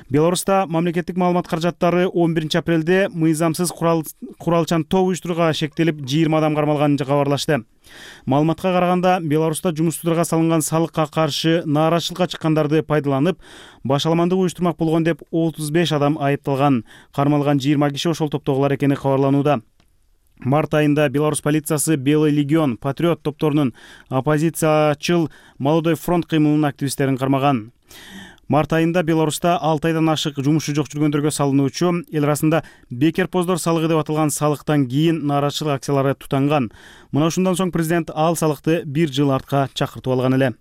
Беларуста мамлекеттик маалымат каражаттары он биринчи апрелде мыйзамсыз курал куралчан топ уюштурууга шектелип, жыйырма адам кармалганын кабарлашты. Маалыматка караганда, Беларуста жумуштууларга салынган салыкка каршы нааразычылыкка чыккандарды пайдаланып, башаламандык уюштурмак болгон деп отуз беш адам айыпталган. Кармалган жыйырма киши ошол топтогулар экени кабарланууда. Март айында Беларусь полициясы Белый легион, Патриот топторунун оппозициячыл Молодой фронт кыймылынын активисттерин кармаган. Март айында Беларуста алты айдан ашык жумушу жок жүргөндөргө салынуучу, эл арасында бекерпоздор салыгы деп аталган салыктан кийин нааразычылык акциялары тутанган. Мына ушундан соң президент ал салыкты бир жыл артка чакыртып алган эле.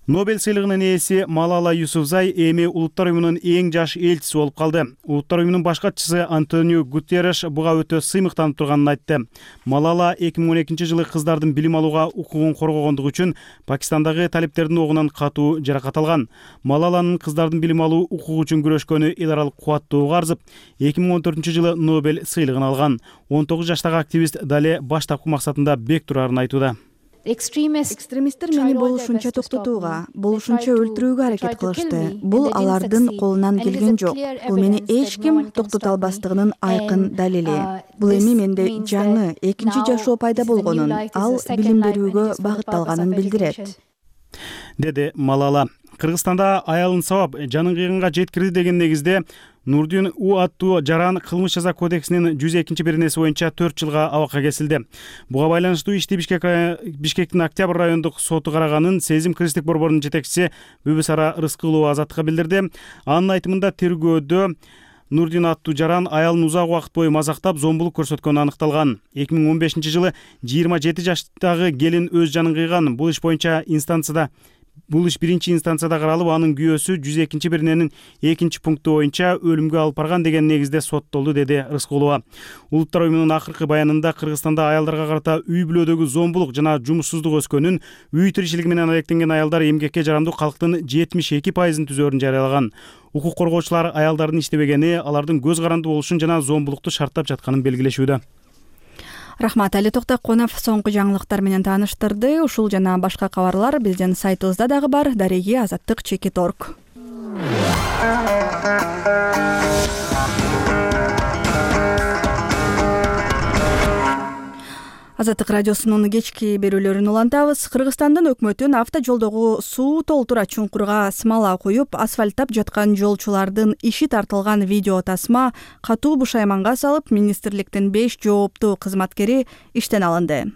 Нобель сыйлыгынын ээси Малала Юсуфзай эми Улуттар уюмунун эң жаш элчиси болуп калды. Улуттар уюмунун баш катчысы Антонио Гутерреш буга өтө сыймыктанып турганын айтты. Малала эки миң он экинчи жылы кыздардын билим алууга укугун коргогондугу үчүн Пакистандагы талиптердин огунан катуу жаракат алган. Малаланын кыздардын билим алуу укугу үчүн күрөшкөнү эл аралык кубаттоого арзып, эки миң он төртүнчү жылы Нобель сыйлыгын алган. он тогуз жаштагы активист дале баштапкы максатында бек турарын айтууда. Экстремисттер мени болушунча токтотууга, болушунча өлтүрүүгө аракет кылышты. Бул алардын колунан келген жок. Бул мени эч ким токтото албастыгынын айкын далили. Бул эми менде жаңы экинчи жашоо пайда болгонун, ал билим берүүгө багытталганын билдирет, деди Малала. Кыргызстанда аялын сабап жанын кыйганга жеткирди деген негизде Нурдин У аттуу жаран кылмыш жаза кодексинин жүз экинчи беренеси боюнча төрт жылга абакка кесилди. Буга байланыштуу ишти Бишкек Бишкектин Октябрь райондук соту караганын Сезим кыргызчылык борборунун жетекчиси Бүбүсара Рыскылова Азаттыкка билдирди. Анын айтымында тергөөдө Нурдин аттуу жаран аялын узак убакыт бою мазактап, зомбулук көрсөткөнү аныкталган. эки миң он бешинчи жылы жыйырма жети жаштагы келин өз жанын кыйган. Бул иш боюнча инстанцияда Бул иш биринчи инстанцияда каралып, анын күйөөсү жүз экинчи берененин экинчи пункту боюнча өлүмгө алып барган деген негизде соттолду, деди Рыскулова. Улуттар уюмунун акыркы баянында Кыргызстанда аялдарга карата үй бүлөдөгү зомбулук жана жумуссуздук өскөнүн, үй тиричилиги менен алектенген аялдар эмгекке жарамдуу калктын жетимиш эки пайызын түзөөрүн жарыялаган. Укук коргоочулар аялдардын иштебегени, алардын көз каранды болушун жана зомбулукту шарттап жатканын белгилешүүдө. Рахмат, Али Токтокунов соңку жаңылыктар менен тааныштырды. Ушул жана башка кабарлар биздин сайтыбызда дагы бар. Дареги азаттык чекит точка орг. Азаттык радиосунун кечки берүүлөрүн улантабыз. Кыргызстандын өкмөтүн автожолдогу суу толтура чуңкурга смола коюп, асфальттап жаткан жолчулардын иши тартылган видео тасма катуу бушайманга салып, министрликтин беш жооптуу кызматкери иштен алынды.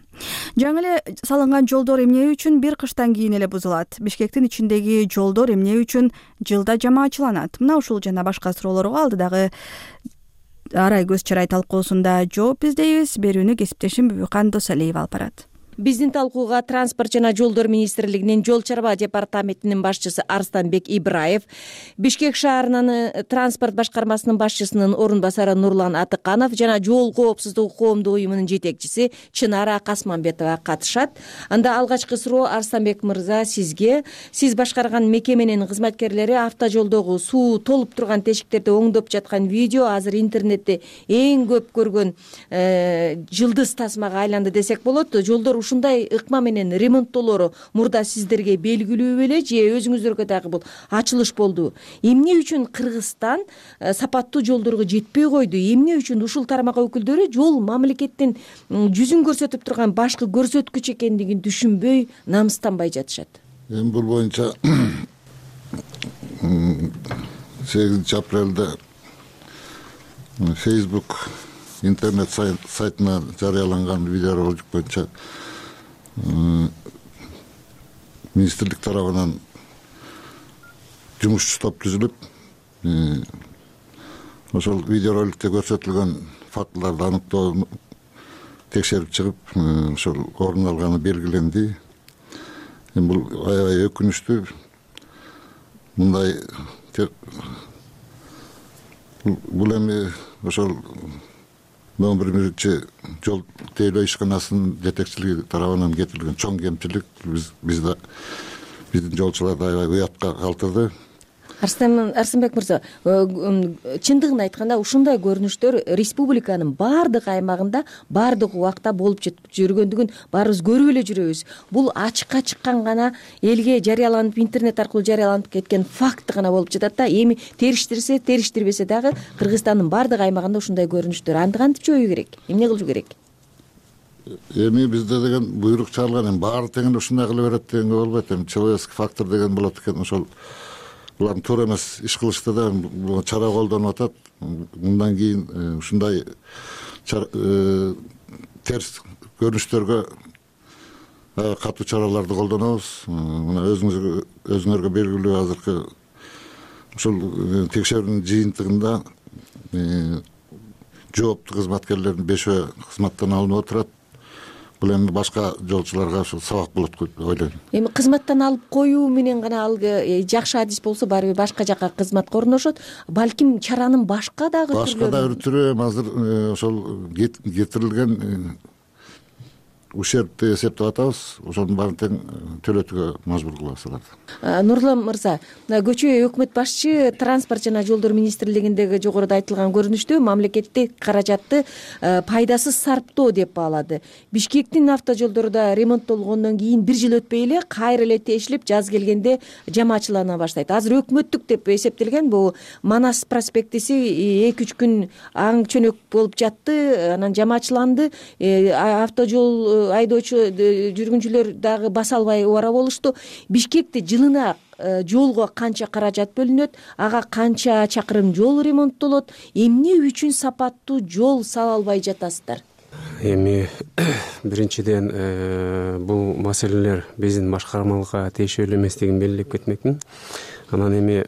Жаңы эле салынган жолдор эмне үчүн бир кыштан кийин эле бузулат? Бишкектин ичиндеги жолдор эмне үчүн жылда жамаачыланат? Мына ушул жана башка суроолорго алдыдагы арай көз чарай талкуусунда жооп издейбиз. Берүүнү кесиптешим Бүбүкан Досалиева алып барат. Биздин талкууга Транспорт жана жолдор министрлигинин жол чарба департаментинин башчысы Арстанбек Ибраев, Бишкек шаарынын транспорт башкармасынын башчысынын орун басары Нурлан Атыканов жана жол коопсуздугу коомдук уюмунун жетекчиси Чынара Касманбетова катышат. Анда алгачкы суроо Арстанбек мырза сизге. Сиз башкарган мекеменин кызматкерлери автожолдогу суу толуп турган тешиктерди оңдоп жаткан видео азыр интернетте эң көп көргөн жылдыз тасмага айланды десек болот. Жолдор ушундай ыкма менен ремонттоолору мурда сиздерге белгилүү беле же өзүңүздөргө дагы бул ачылыш болду? Эмне үчүн Кыргызстан сапаттуу жолдорго жетпей койду? Эмне үчүн ушул тармак өкүлдөрү жол мамлекеттин жүзүн көрсөтүп турган башкы көрсөткүч экендигин түшүнбөй, намыстанбай жатышат? Эми бул боюнча сегизинчи апрелде Facebook интернет сайтына жарыяланган видеоролик боюнча министрлик тарабынан жумушчу топ түзүлүп, ошол видеороликте көрсөтүлгөн фактыларды аныктоо текшерип чыгып, ошол орун алганы белгиленди. Эми бул аябай өкүнүчтүү. Мындай бул эми ошол он биринчи жол тейлөө ишканасынын жетекчилиги тарабынан кетирилген чоң кемчилик биз бизде биздин жолчуларды аябай уятка калтырды. Арсынбек мырза, чындыгын айтканда ушундай көрүнүштөр республиканын баардык аймагында баардык убакта болуп жүргөндүгүн баарыбыз көрүп эле жүрөбүз. Бул ачыкка чыккан гана элге жарыяланып, интернет аркылуу жарыяланып кеткен факт гана болуп жатат да. Эми териштирсе, териштирбесе дагы Кыргызстандын баардык аймагында ушундай көрүнүштөр. Анды кантип жоюу керек? Эмне кылуу керек? Эми бизде деген буйрук чыгарылган, эми баары тең ушундай кыла берет дегенге болбойт. Эми человеческий фактор деген болот экен. Ошол булардын туура эмес иш кылышты да чара колдонуп атат. Мындан кийин ушундай терс көрүнүштөргө катуу чараларды колдонобуз. Мына өзүңүзгө өзүңөргө белгилүү азыркы ушул текшерүүнүн жыйынтыгында жооптуу кызматкерлердин бешөө кызматтан алынып отурат. Бул эми башка жолчуларга ушул сабак болот деп ойлойм. Эми кызматтан алып коюу менен гана ал жакшы адис болсо барыбир башка жака кызматка орношот. Балким чаранын башка дагы түрлөрү башка дагы түрү азыр ошол кетирилген ущербти эсептеп атабыз. Ошонун баарын тең төлөтүүгө мажбур кылабыз аларды. Нурлан мырза, көчө өкмөт башчы транспорт жана жолдор министрлигиндеги жогоруда айтылган көрүнүштө мамлекеттик каражатты пайдасыз сарптоо деп баалады. Бишкектин автожолдору да ремонттолгондон кийин бир жыл өтпөй эле кайра эле тешилип, жаз келгенде жамаачылана баштайт. Азыр өкмөттүк деп эсептелген бул Манас проспектиси эки үч күн аң чөнөк болуп жатты, анан жамаачыланды. Автожол айдоочу жүргүнчүлөр дагы баса албай убара болушту. Бишкекте жылына жолго канча каражат бөлүнөт, ага канча чакырым жол ремонттолот, эмне үчүн сапаттуу жол сала албай жатасыздар? Эми биринчиден бул маселелер биздин башкармалыкка тиешелүү эместигин белгилеп кетмекмин. Анан эми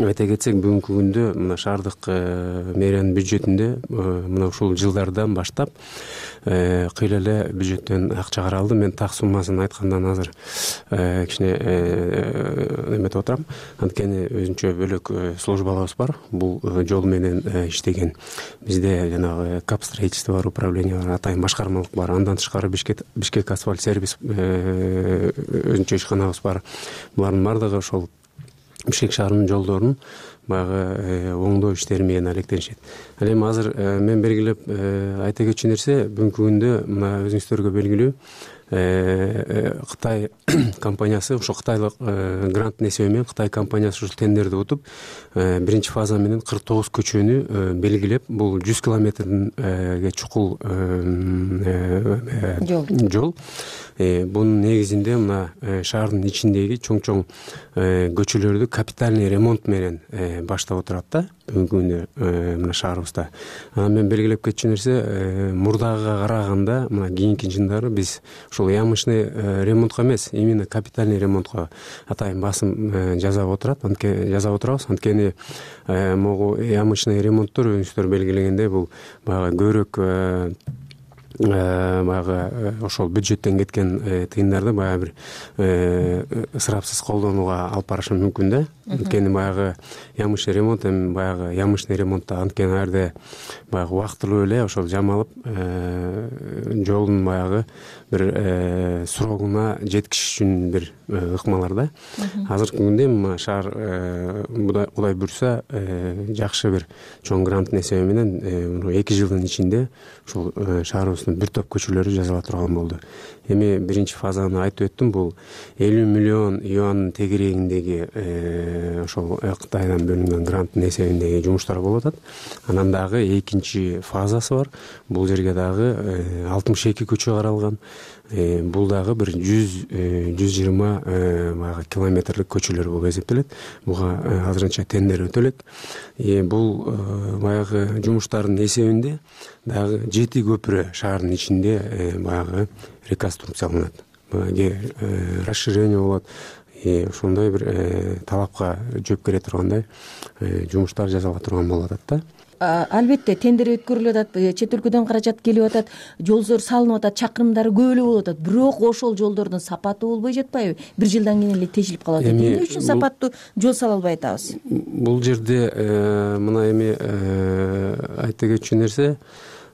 айта кетсек, бүгүнкү күндө мына шаардык мэриянын бюджетинде мына ушул жылдардан баштап кыйла эле бюджеттен акча каралды. Мен так суммасын айткандан азыр кичине эметип отурам. Анткени өзүнчө бөлөк службаларыбыз бар. Бул жол менен иштеген бизде жанагы кап строительство бар, управление бар, атайын башкармалык бар. Андан тышкары Бишкек Бишкек асфальт сервис өзүнчө ишканабыз бар. Булардын баардыгы ошол Бишкек шаарынын жолдорун баягы оңдоо иштери менен алектенишет. Ал эми азыр мен белгилеп айта кетчү нерсе, бүгүнкү күндө мына өзүңүздөргө белгилүү Кытай компаниясы, ошо кытайлык гранттын эсеби менен Кытай компаниясы ушул тендерди утуп, биринчи фаза менен кырк тогуз көчөнү белгилеп, бул жүз километрге чукул жол. Бунун негизинде мына шаардын ичиндеги чоң-чоң көчөлөрдү капитальный ремонт менен баштап отурат да бүгүнкү күндө мына шаарыбызда. Анан мен белгилеп кетчү нерсе, мурдагыга караганда мына кийинки жылдары биз ушул ямочный ремонтко эмес, именно капитальный ремонтко атайын басым жасап отурат, анткени жасап отурабыз. Анткени могу ямочный ремонттор өзүңүздөр белгилегендей бул баягы көбүрөөк баягы ошол бюджеттен кеткен тыйындарды баягы бир ысырапсыз колдонууга алып барышы мүмкүн да. Анткени баягы ямочный ремонт эми баягы ямочный ремонтта анткени ал жерде баягы убактылуу эле ошол жамалып жолдун баягы бир срогуна жеткизиш үчүн бир ыкмалар да. Азыркы күндө эми шаар Кудай буйрса жакшы бир чоң гранттын эсеби менен эки жылдын ичинде ушул шаарыбыздын бир топ көчөлөрү жасала турган болду. Эми биринчи фазаны айтып өттүм, бул элүү миллион юандын тегерегиндеги ошол Кытайдан бөлүнгөн гранттын эсебиндеги жумуштар болуп атат. Анан дагы экинчи фазасы бар. Бул жерге дагы алтымыш эки көчө каралган. Бул дагы бир жүз жүз жыйырма баягы километрлик көчөлөр болуп эсептелет. Буга азырынча тендер өтөлөт. Бул баягы жумуштардын эсебинде дагы жети көпүрө шаардын ичинде баягы реконструкцияланат. Расширение болот. Ошондой бир талапка жооп бере тургандай жумуштар жасала турган болуп атат да. Албетте тендер өткөрүлүп атат, чет өлкөдөн каражат келип атат, жолдор салынып атат, чакырымдары көп эле болуп атат. Бирок ошол жолдордун сапаты болбой жатпайбы? Бир жылдан кийин эле тешилип калат. Эмне үчүн сапаттуу жол сала албай атабыз? Бул жерде мына эми айта кетчү нерсе,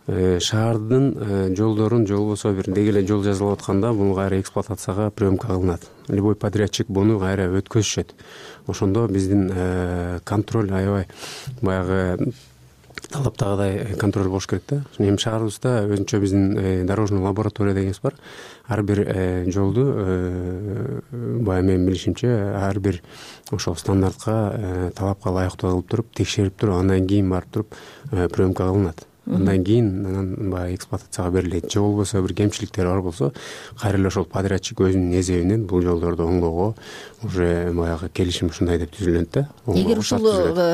шаардын жолдорун же болбосо бир деги эле жол жасалып атканда бул кайра эксплуатацияга приемка кылынат. Любой подрядчик буну кайра өткөзүшөт. Ошондо биздин контроль аябай баягы талаптагыдай контроль болуш керек да. Эми шаарыбызда өзүнчө биздин дорожный лаборатория дегенибиз бар. Ар бир жолду баягы менин билишимче ар бир ошол стандартка, талапка ылайыктуу кылып туруп, текшерип туруп, андан кийин барып туруп приемка кылынат. Андан кийин анан баягы эксплуатацияга берилет. Же болбосо бир кемчиликтер бар болсо, кайра эле ошол подрядчик өзүнүн эсебинен бул жолдорду оңдоого уже баягы келишим ушундай деп түзүлөт да. Эгер ушул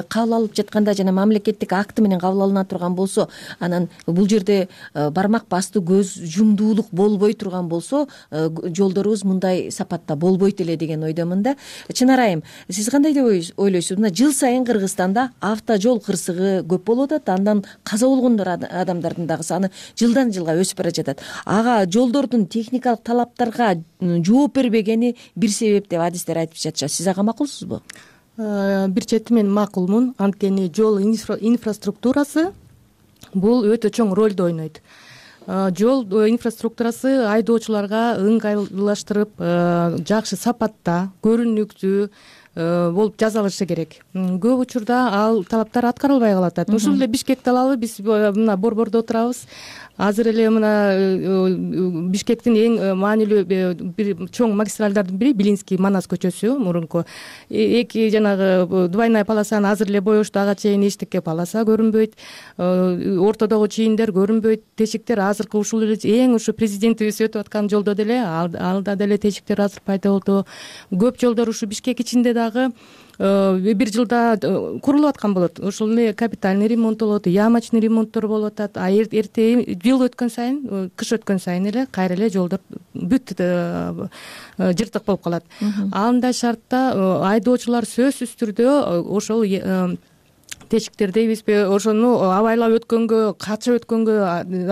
кабыл алып жатканда жана мамлекеттик акты менен кабыл алына турган болсо, анан бул жерде бармак бастуу көз жумдуулук болбой турган болсо, жолдорубуз мындай сапатта болбойт эле деген ойдомун да. Чынар айым, сиз кандай деп ойлойсуз? Мына жыл сайын Кыргызстанда автожол кырсыгы көп болуп атат, андан каза болгон адамдардын дагы саны жылдан жылга өсүп бара жатат. Ага жолдордун техникалык талаптарга жооп бербегени бир себеп деп адистер айтып жатышат. Сиз ага макулсузбу? Бир чети мен макулмун. Анткени жол инфраструктурасы бул өтө чоң ролду ойнойт. Жол инфраструктурасы айдоочуларга ыңгайлаштырып, жакшы сапатта, көрүнүктүү болуп жасалышы керек. Көп учурда ал талаптар аткарылбай калат. Ушул эле Бишкекти алалы, биз мына Борбордо отурабыз. Азыр эле мына Бишкектин эң маанилүү бир чоң магистралдардын бири Билинский Манас көчөсү, мурунку. Эки жанагы двойная полосаны азыр эле боешту, ага чейин эчтеке полоса көрүнбөйт. Ортодогу чийиндер көрүнбөйт. Тешиктер азыркы ушул эле эң ушу президентибиз өтүп аткан жолдо деле, алда деле тешиктер азыр пайда болду. Көп жолдор ушу Бишкек ичинде дагы бир жылда курулуп аткан болот. Ошол эле капитальный ремонт болот, ямочный ремонттор болуп атат. А эрте жыл өткөн сайын, кыш өткөн сайын эле кайра эле жолдор бүт жыртык болуп калат. Андай шартта айдоочулар сөзсүз түрдө ошол тешиктер дейбизби, ошону абайлап өткөнгө, качып өткөнгө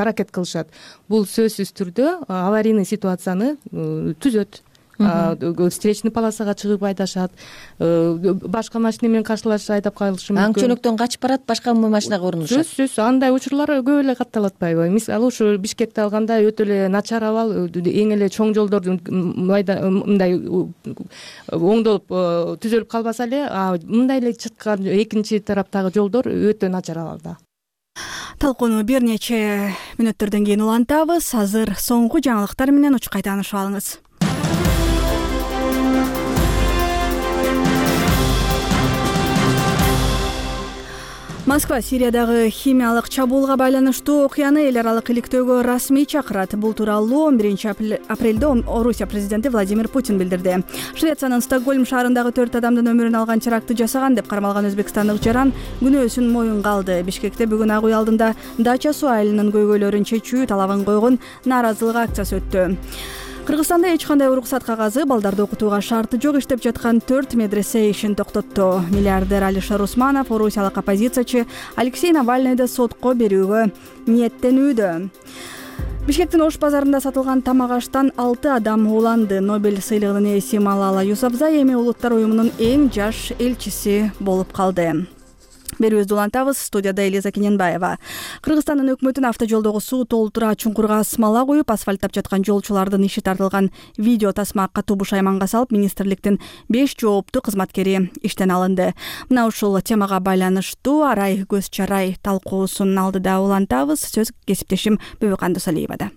аракет кылышат. Бул сөзсүз түрдө аварийный ситуацияны түзөт. Встречный полосага чыгып айдашат, башка машина менен каршылашып айдап калышы мүмкүн. Аң чөнөктөн качып барат, башка машинага урунушат. Сөзсүз, андай учурлар көп эле катталып атпайбы? Мисалы ушу Бишкекти алганда өтө эле начар абал, эң эле чоң жолдордун мындай оңдолуп түзөлүп калбаса эле, мындай эле чыккан экинчи тараптагы жолдор өтө начар абалда. Талкууну бир нече мүнөттөрдөн кийин улантабыз. Азыр соңку жаңылыктар менен учкай таанышып алыңыз. Москва Сириядагы химиялык чабуулга байланыштуу окуяны эл аралык иликтөөгө расмий чакырат. Бул тууралуу он биринчи апрелде Орусия президенти Владимир Путин билдирди. Швециянын Стокгольм шаарындагы төрт адамдын өмүрүн алган терактты жасаган деп кармалган өзбекстандык жаран күнөөсүн моюнга алды. Бишкекте бүгүн Ак үй алдында дача суу айылынын көйгөйлөрүн чечүү талабын койгон нааразылык акциясы өттү. Кыргызстанда эч кандай уруксат кагазы, балдарды окутууга шарты жок иштеп жаткан төрт медресе ишин токтотту. Миллиардер Алишер Усманов орусиялык оппозициячы Алексей Навальныйды сотко берүүгө ниеттенүүдө. Бишкектин Ош базарында сатылган тамак аштан алты адам ууланды. Нобель сыйлыгынын ээси Малала Юсафзай эми Улуттар уюмунун эң жаш элчиси болуп калды. Берүүбүздү улантабыз. Студияда Элиза Кененбаева. Кыргызстандын өкмөтүн автожолдогу суу толтура чуңкурга смола куюп, асфальттап жаткан жолчулардын иши тартылган видео тасма катуу бушайманга салып, министрликтин беш жооптуу кызматкери иштен алынды. Мына ушул темага байланыштуу арай көз чарай талкуусун алдыда улантабыз. Сөз кесиптешим Бөбөкан Досалиевада.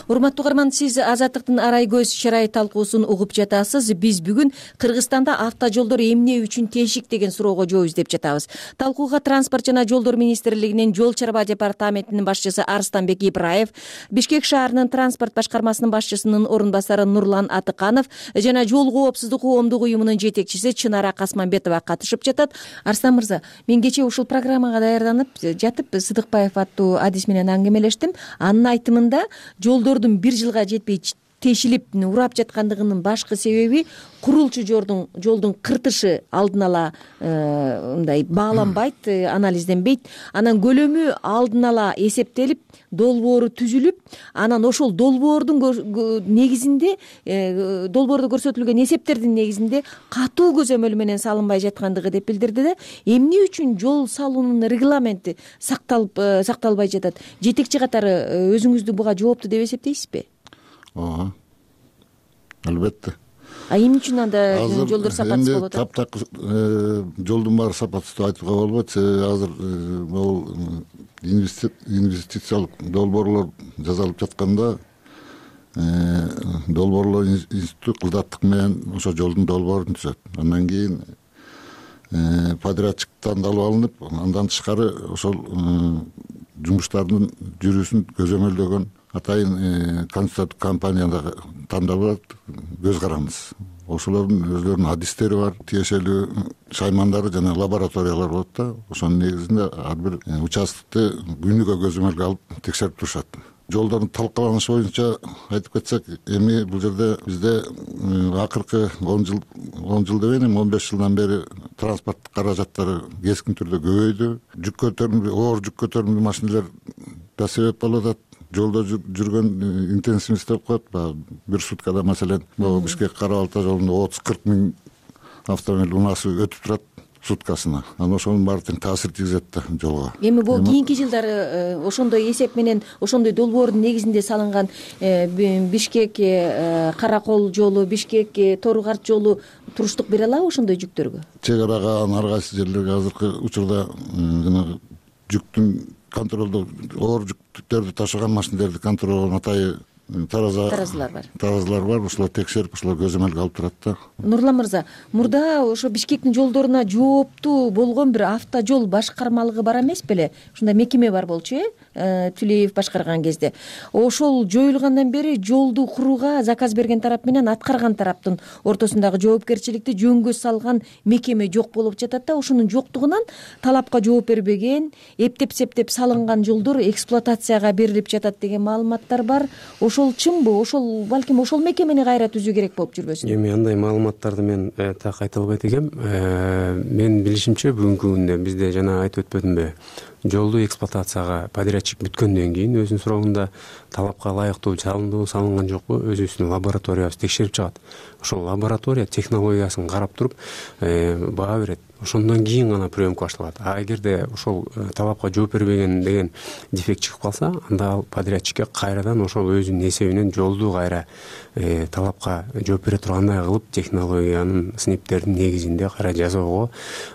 Урматтуу угарман, сиз Азаттыктын арай көз чарай талкуусун угуп жатасыз. Биз бүгүн Кыргызстанда автожолдор эмне үчүн тешик деген суроого жооп издеп жатабыз. Талкууга транспорт жана жолдор министрлигинин жол чарба департаментинин башчысы Арстанбек Ибраев, Бишкек шаарынын транспорт башкармасынын башчысынын орун басары Нурлан Атыканов жана жол коопсуздук коомдук уюмунун жетекчиси Чынара Касманбетова катышып жатат. Арстан мырза, мен кечээ ушул программага даярданып жатып Сыдыкбаев аттуу адис менен аңгемелештим. Анын айтымында жолдордун бир жылга жетпей тешилип урап жаткандыгынын башкы себеби курулчу жолдун жолдун кыртышы алдын ала мындай бааланбайт, анализденбейт. Анан көлөмү алдын ала эсептелип, долбоору түзүлүп, анан ошол долбоордун негизинде, долбоордо көрсөтүлгөн эсептердин негизинде катуу көзөмөл менен салынбай жаткандыгы деп билдирди да. Эмне үчүн жол салуунун регламенти сакталып сакталбай жатат? Жетекчи катары өзүңүздү буга жооптуу деп эсептейсизби? Ооба. Албетте. А эмне үчүн анда жолдор сапатсыз болуп атат? Таптак жолдун баары сапатсыз деп айтууга болбойт. Азыр бул инвестициялык долбоорлор жасалып жатканда долбоорлор институту кылдаттык менен ошо жолдун долбоорун түзөт. Андан кийин подрядчик тандалып алынып, андан тышкары ошол жумуштардын жүрүүсүн көзөмөлдөгөн атайын консультатив компанияда тандалып көз каранды. Ошолордун өздөрүнүн адистери бар, тиешелүү шаймандары жана лабораториялар болот да. Ошонун негизинде ар бир участкты күнүгө көзөмөлгө алып текшерип турушат. Жолдордун талкаланышы боюнча айтып кетсек, эми бул жерде бизде акыркы он жыл он жыл деп эми он беш жылдан бери транспорттук каражаттары кескин түрдө көбөйдү. Жүк көтөрүмдүү, оор жүк көтөрүмдүү машиналар да себеп болуп атат. Жолдо жүргөн интенсивность деп коет. Бир суткада маселен Бишкек Кара Балта жолунда отуз кырк миң автомобиль унасы өтүп турат суткасына. Анан ошонун баары тең таасир тийгизет да жолго. Эми бул кийинки жылдары ошондой эсеп менен, ошондой долбоордун негизинде салынган Бишкек Каракол жолу, Бишкек Тору-Карт жолу туруштук бере алабы ошондой жүктөргө? Чек арага ар кайсы жерлерге азыркы учурда жанагы жүктүн контролдо оор жүктөрдү ташыган машиналерди контролдогон атайын тараза таразалар бар. Таразалар бар, ошолор текшерип, ошолор көзөмөлгө алып турат да. Нурлан мырза, мурда ошо Бишкектин жолдоруна жооптуу болгон бир автожол башкармалыгы бар эмес беле? Ушундай мекеме бар болчу, э? Тилеев башкарган кезде. Ошол жоюлгандан бери жолду курууга заказ берген тарап менен аткарган тараптын ортосундагы жоопкерчиликти жөнгө салган мекеме жок болуп жатат да. Ошонун жоктугунан талапка жооп бербеген, эптеп-септеп салынган жолдор эксплуатацияга берилип жатат деген маалыматтар бар. Ошол чынбы? Ошол балким ошол мекемени кайра түзүү керек болуп жүрбөсүн? Эми андай маалыматтарды мен так айта албайт экенм. Менин билишимче бүгүнкү күндө бизде жана айтып өтпөдүмбү, жолду эксплуатацияга подрядчик бүткөндөн кийин өзүнүн сурогунда талапка ылайыктуу салынды, салынган жокпу, өзүбүздүн лабораториябыз текшерип чыгат. Ошол лаборатория технологиясын карап туруп баа берет. Ошондон кийин гана приемка башталат. А эгерде ошол талапка жооп бербеген деген дефект чыгып калса, анда ал подрядчикке кайрадан ошол өзүнүн эсебинен жолду кайра талапка жооп бере тургандай кылып, технологиянын сыниптердин негизинде кайра жасоого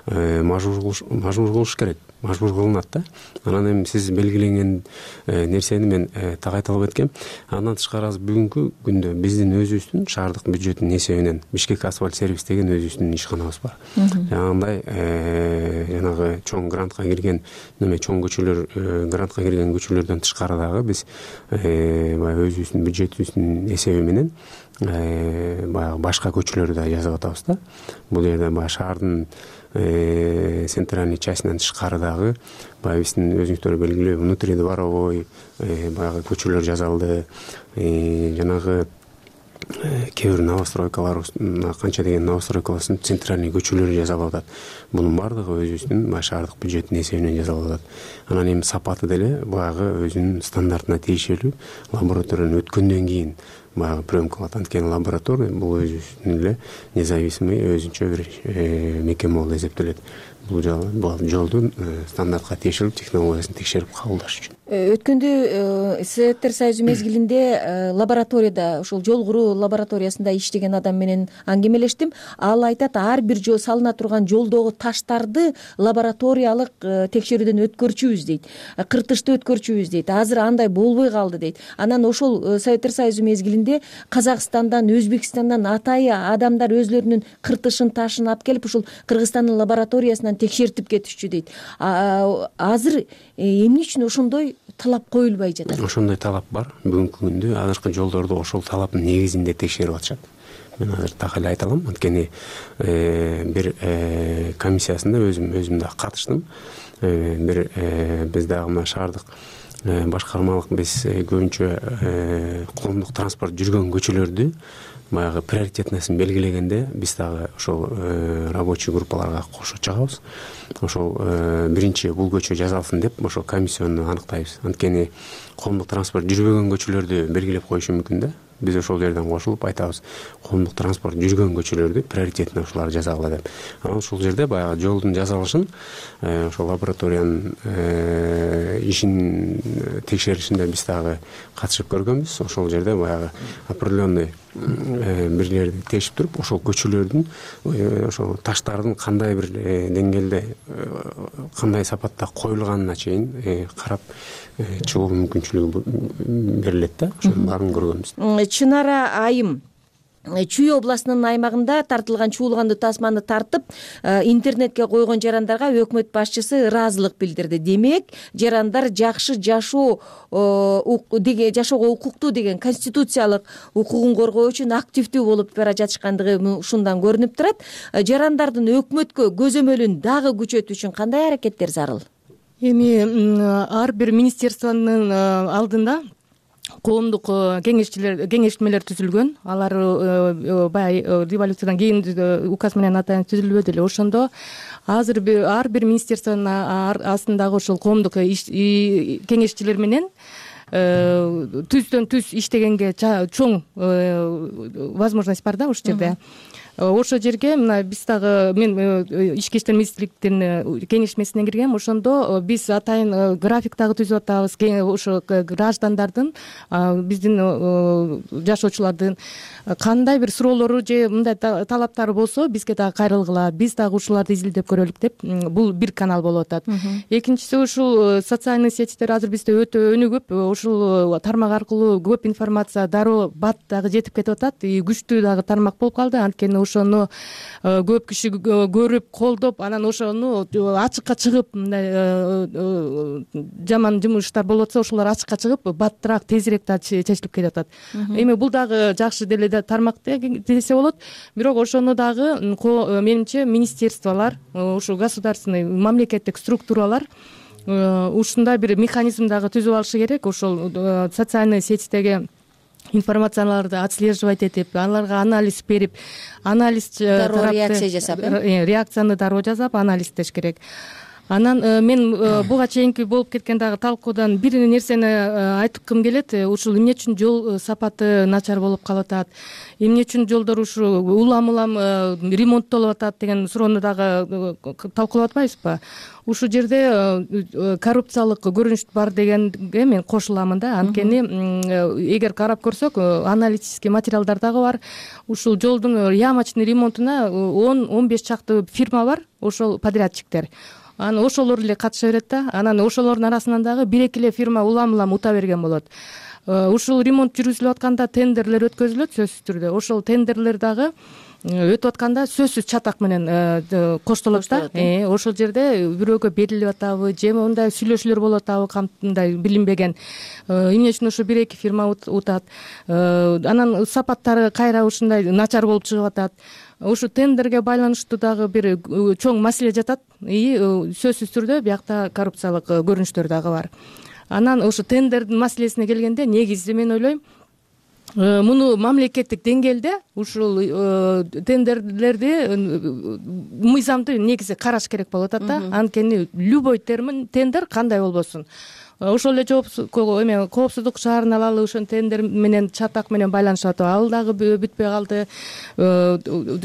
мажбур кылыш керек. Мажбур кылынат да. Анан эми сиз белгиленген нерсени мен так айта албайт экенм. Андан тышкары бүгүнкү күндө биздин өзүбүздүн шаардык бюджеттин эсебинен Бишкек асфальт сервис деген өзүбүздүн ишканабыз бар. Жанагындай жанагы чоң грантка кирген, неме чоң көчөлөр, грантка кирген көчөлөрдөн тышкары дагы биз баягы өзүбүздүн бюджетибиздин эсеби менен баягы башка көчөлөрдү да жасап атабыз да. Бул жерде баягы шаардын центральный частинен тышкары дагы баягы биздин өзүңүздөр белгилүү внутридворовой баягы көчөлөр жасалды. Жанагы кээ бир новостройкалар, канча деген новостройкалардын центральный көчөлөрү жасалып атат. Бунун баардыгы өзүбүздүн шаардык бюджеттин эсебинен жасалып атат. Анан эми сапаты деле баягы өзүнүн стандартына тиешелүү лабораториядан өткөндөн кийин баягы приемка кылат. Анткени лаборатория бул өзүнүн эле независимый өзүнчө бир мекеме болуп эсептелет. Бул жолдун стандартка тиешелүү технологиясын текшерип кабылдаш үчүн. Өткөндө Советтер Союзу мезгилинде лабораторияда, ошол жол куруу лабораториясында иштеген адам менен аңгемелештим. Ал айтат, ар бир жол салына турган жолдогу таштарды лабораториялык текшерүүдөн өткөрчүбүз дейт. Кыртышты өткөрчүбүз дейт. Азыр андай болбой калды дейт. Анан ошол Советтер Союзу мезгилинде Казакстандан, Өзбекстандан атайы адамдар өзлөрүнүн кыртышын, ташын алып келип, ушул Кыргызстандын лабораториясынан текшертип кетишчү дейт. Азыр эмне үчүн ошондой талап коюлбай жатат? Ошондой талап бар. Бүгүнкү күндө азыркы жолдорду ошол талаптын негизинде текшерип атышат. Мен азыр так эле айта алам, анткени бир комиссиясында өзүм өзүм да катыштым. Бир биз дагы мына шаардык башкармалык биз көбүнчө коомдук транспорт жүргөн көчөлөрдү баягы приоритетныйсын белгилегенде биз дагы ошол рабочий группаларга кошо чыгабыз. Ошол биринчи бул көчө жасалсын деп ошол комиссионду аныктайбыз. Анткени коомдук транспорт жүрбөгөн көчөлөрдү белгилеп коюшу мүмкүн да. Биз ошол жерден кошулуп айтабыз, коомдук транспорт жүргөн көчөлөрдү приоритетный ушуларды жасагыла деп. Анан ушул жерде баягы жолдун жасалышын ошол лабораториянын ишин текшеришинде биз дагы катышып көргөнбүз. Ошол жерде баягы определенный бирлерди тешип туруп, ошол көчөлөрдүн ошол таштардын кандай бир деңгээлде, кандай сапатта коюлганына чейин карап чыгуу мүмкүнчүлүгү берилет да. Ошонун баарын көргөнбүз. Чынара айым Чүй областынын аймагында тартылган чуулганды тасманы тартып интернетке койгон жарандарга өкмөт башчысы ыраазылык билдирди. Демек, жарандар жакшы жашоо деген жашоого укуктуу деген конституциялык укугун коргоо үчүн активдүү болуп бара жатышкандыгы ушундан көрүнүп турат. Жарандардын өкмөткө көзөмөлүн дагы күчөтүү үчүн кандай аракеттер зарыл? Эми ар бир министерствонун алдында коомдук кеңешчилер кеңештмелер түзүлгөн. Алар баягы революциядан кийин указ менен атайын түзүлбөдү эле. Ошондо азыр ар бир министерствонун астындагы ошол коомдук кеңешчилер менен түздөн түз иштегенге чоң возможность бар да ошол жерде. Ошол жерге мына биз дагы мен ички иштер министрликтин кеңешмесине киргем. Ошондо биз атайын график дагы түзүп атабыз. Ошо граждандардын, биздин жашоочулардын кандай бир суроолору же мындай талаптары болсо бизге дагы кайрылгыла, биз дагы ушуларды изилдеп көрөлүк деп бул бир канал болуп атат. Экинчиси ушул социальный сетьтер азыр бизде өтө өнүгүп, ушул тармак аркылуу көп информация дароо бат дагы жетип кетип атат. Күчтүү дагы тармак болуп калды. Анткени ошону көп киши көрүп, колдоп, анан ошону ачыкка чыгып, мындай жаман жумуштар болуп атса, ошолор ачыкка чыгып, баттыраак, тезирээк да чечилип кетип атат. Эми бул дагы жакшы деле тармак десе болот. Бирок ошону дагы менимче министерстволор, ушул государственный мамлекеттик структуралар ушундай бир механизм дагы түзүп алышы керек. Ошол социальный сетьтеги информацияларды отслеживать этип, аларга анализ берип, анализ дароо реакция жасап, реакцияны дароо жасап, анализдеш керек. Анан мен буга чейинки болуп кеткен дагы талкуудан бир нерсени айткым келет. Ушул эмне үчүн жол сапаты начар болуп калып атат, эмне үчүн жолдор ушу улам-улам ремонттолуп атат деген суроону дагы талкуулап атпайбызбы? Ушул жерде коррупциялык көрүнүш бар дегенге мен кошуламын да. Анткени эгер карап көрсөк, аналитический материалдар дагы бар. Ушул жолдун ямочный ремонтуна он он беш чакты фирма бар, ошол подрядчиктер. Анан ошолор эле катыша берет да. Анан ошолордун арасынан дагы бир-эки эле фирма улам-улам ута берген болот. Ушул ремонт жүргүзүлүп атканда тендерлер өткөзүлөт сөзсүз түрдө. Ошол тендерлер дагы өтүп атканда сөзсүз чатак менен коштолот да. Ошол жерде бирөөгө берилип атабы, же мындай сүйлөшүүлөр болуп атабы, кандай билинбеген. Эмне үчүн ошо бир-эки фирма утат. Анан сапаттары кайра ушундай начар болуп чыгып атат. Ушу тендерге байланыштуу дагы бир чоң маселе жатат. И сөзсүз түрдө биякта коррупциялык көрүнүштөр дагы бар. Анан ошо тендердин маселесине келгенде, негизи мен ойлойм, муну мамлекеттик деңгээлде ушул тендерлерди мыйзамды негизи караш керек болуп атат да. Анткени любой термин тендер кандай болбосун. Ошол эле эме коопсуздук шаарын алалы, ошон тендер менен чатак менен байланышып атат. Ал дагы бүтпөй калды.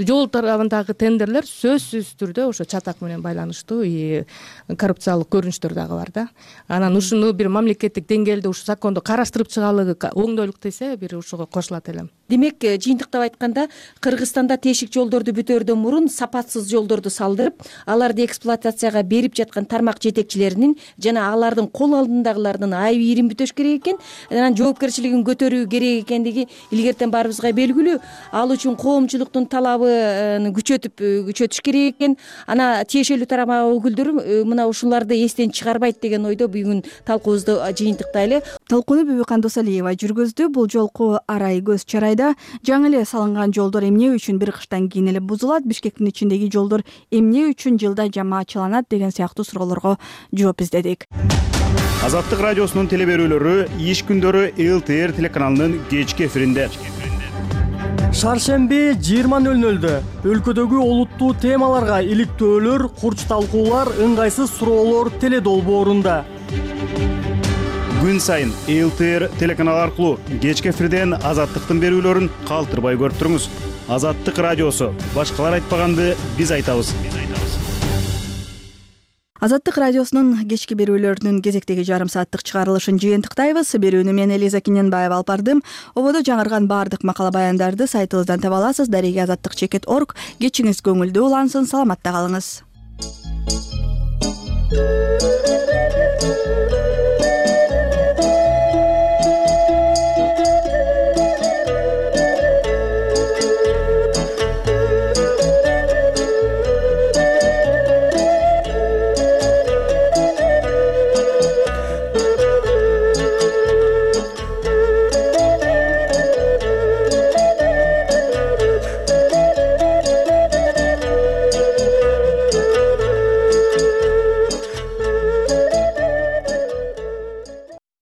Жол тарабындагы тендерлер сөзсүз түрдө ошо чатак менен байланыштуу и коррупциялык көрүнүштөр дагы бар да. Анан ушуну бир мамлекеттик деңгээлде ушу закондо караштырып чыгаалы, оңдойлук десе, бир ушуга кошулат элем. Демек, жыйынтыктап айтканда, Кыргызстанда тешик жолдорду бүтөөрдөн мурун сапатсыз жолдорду салдырып, аларды эксплуатацияга берип жаткан тармак жетекчилеринин жана алардын кол алдындагылардын айып-ийрин бүтөш керек экен, анан жоопкерчилигин көтөрүү керек экендиги илгертен баарыбызга белгилүү. Ал үчүн коомчулуктун талабын күчөтүп күчөтүш керек экен. Ана тиешелүү тармак өкүлдөрү мына ушуларды эстен чыгарбайт деген ойдо бүгүн талкуубузду жыйынтыктайлы. Талкууну Бүбү Кандосалиева жүргүздү. Бул жолку арай көз чарайда жаңы эле салынган жолдор эмне үчүн бир кыштан кийин эле бузулат, Бишкектин ичиндеги жолдор эмне үчүн жылда жамаатчыланат деген сыяктуу суроолорго жооп издедик. Азаттык радиосунун теле берүүлөрү иш күндөрү эл тэ эр телеканалынын кечки эфиринде. Шаршемби жыйырма нөл нөлдө өлкөдөгү олуттуу темаларга иликтөөлөр, курч талкуулар, ыңгайсыз суроолор теле долбоорунда. Күн сайын эл тэ эр телеканалы аркылуу кечки эфирден Азаттыктын берүүлөрүн калтырбай көрүп туруңуз. Азаттык радиосу. Башкалар айтпаганды биз айтабыз. Азаттык радиосунун кечки берүүлөрүнүн кезектеги жарым сааттык чыгарылышын жыйынтыктайбыз. Берүүнү мен Элиза Киненбаева алып бардым. Ободо жаңырган баардык макала баяндарды сайтыбыздан таба аласыз. Дареги азаттык чекит точка орг. Кечиңиз көңүлдүү улансын, саламатта калыңыз.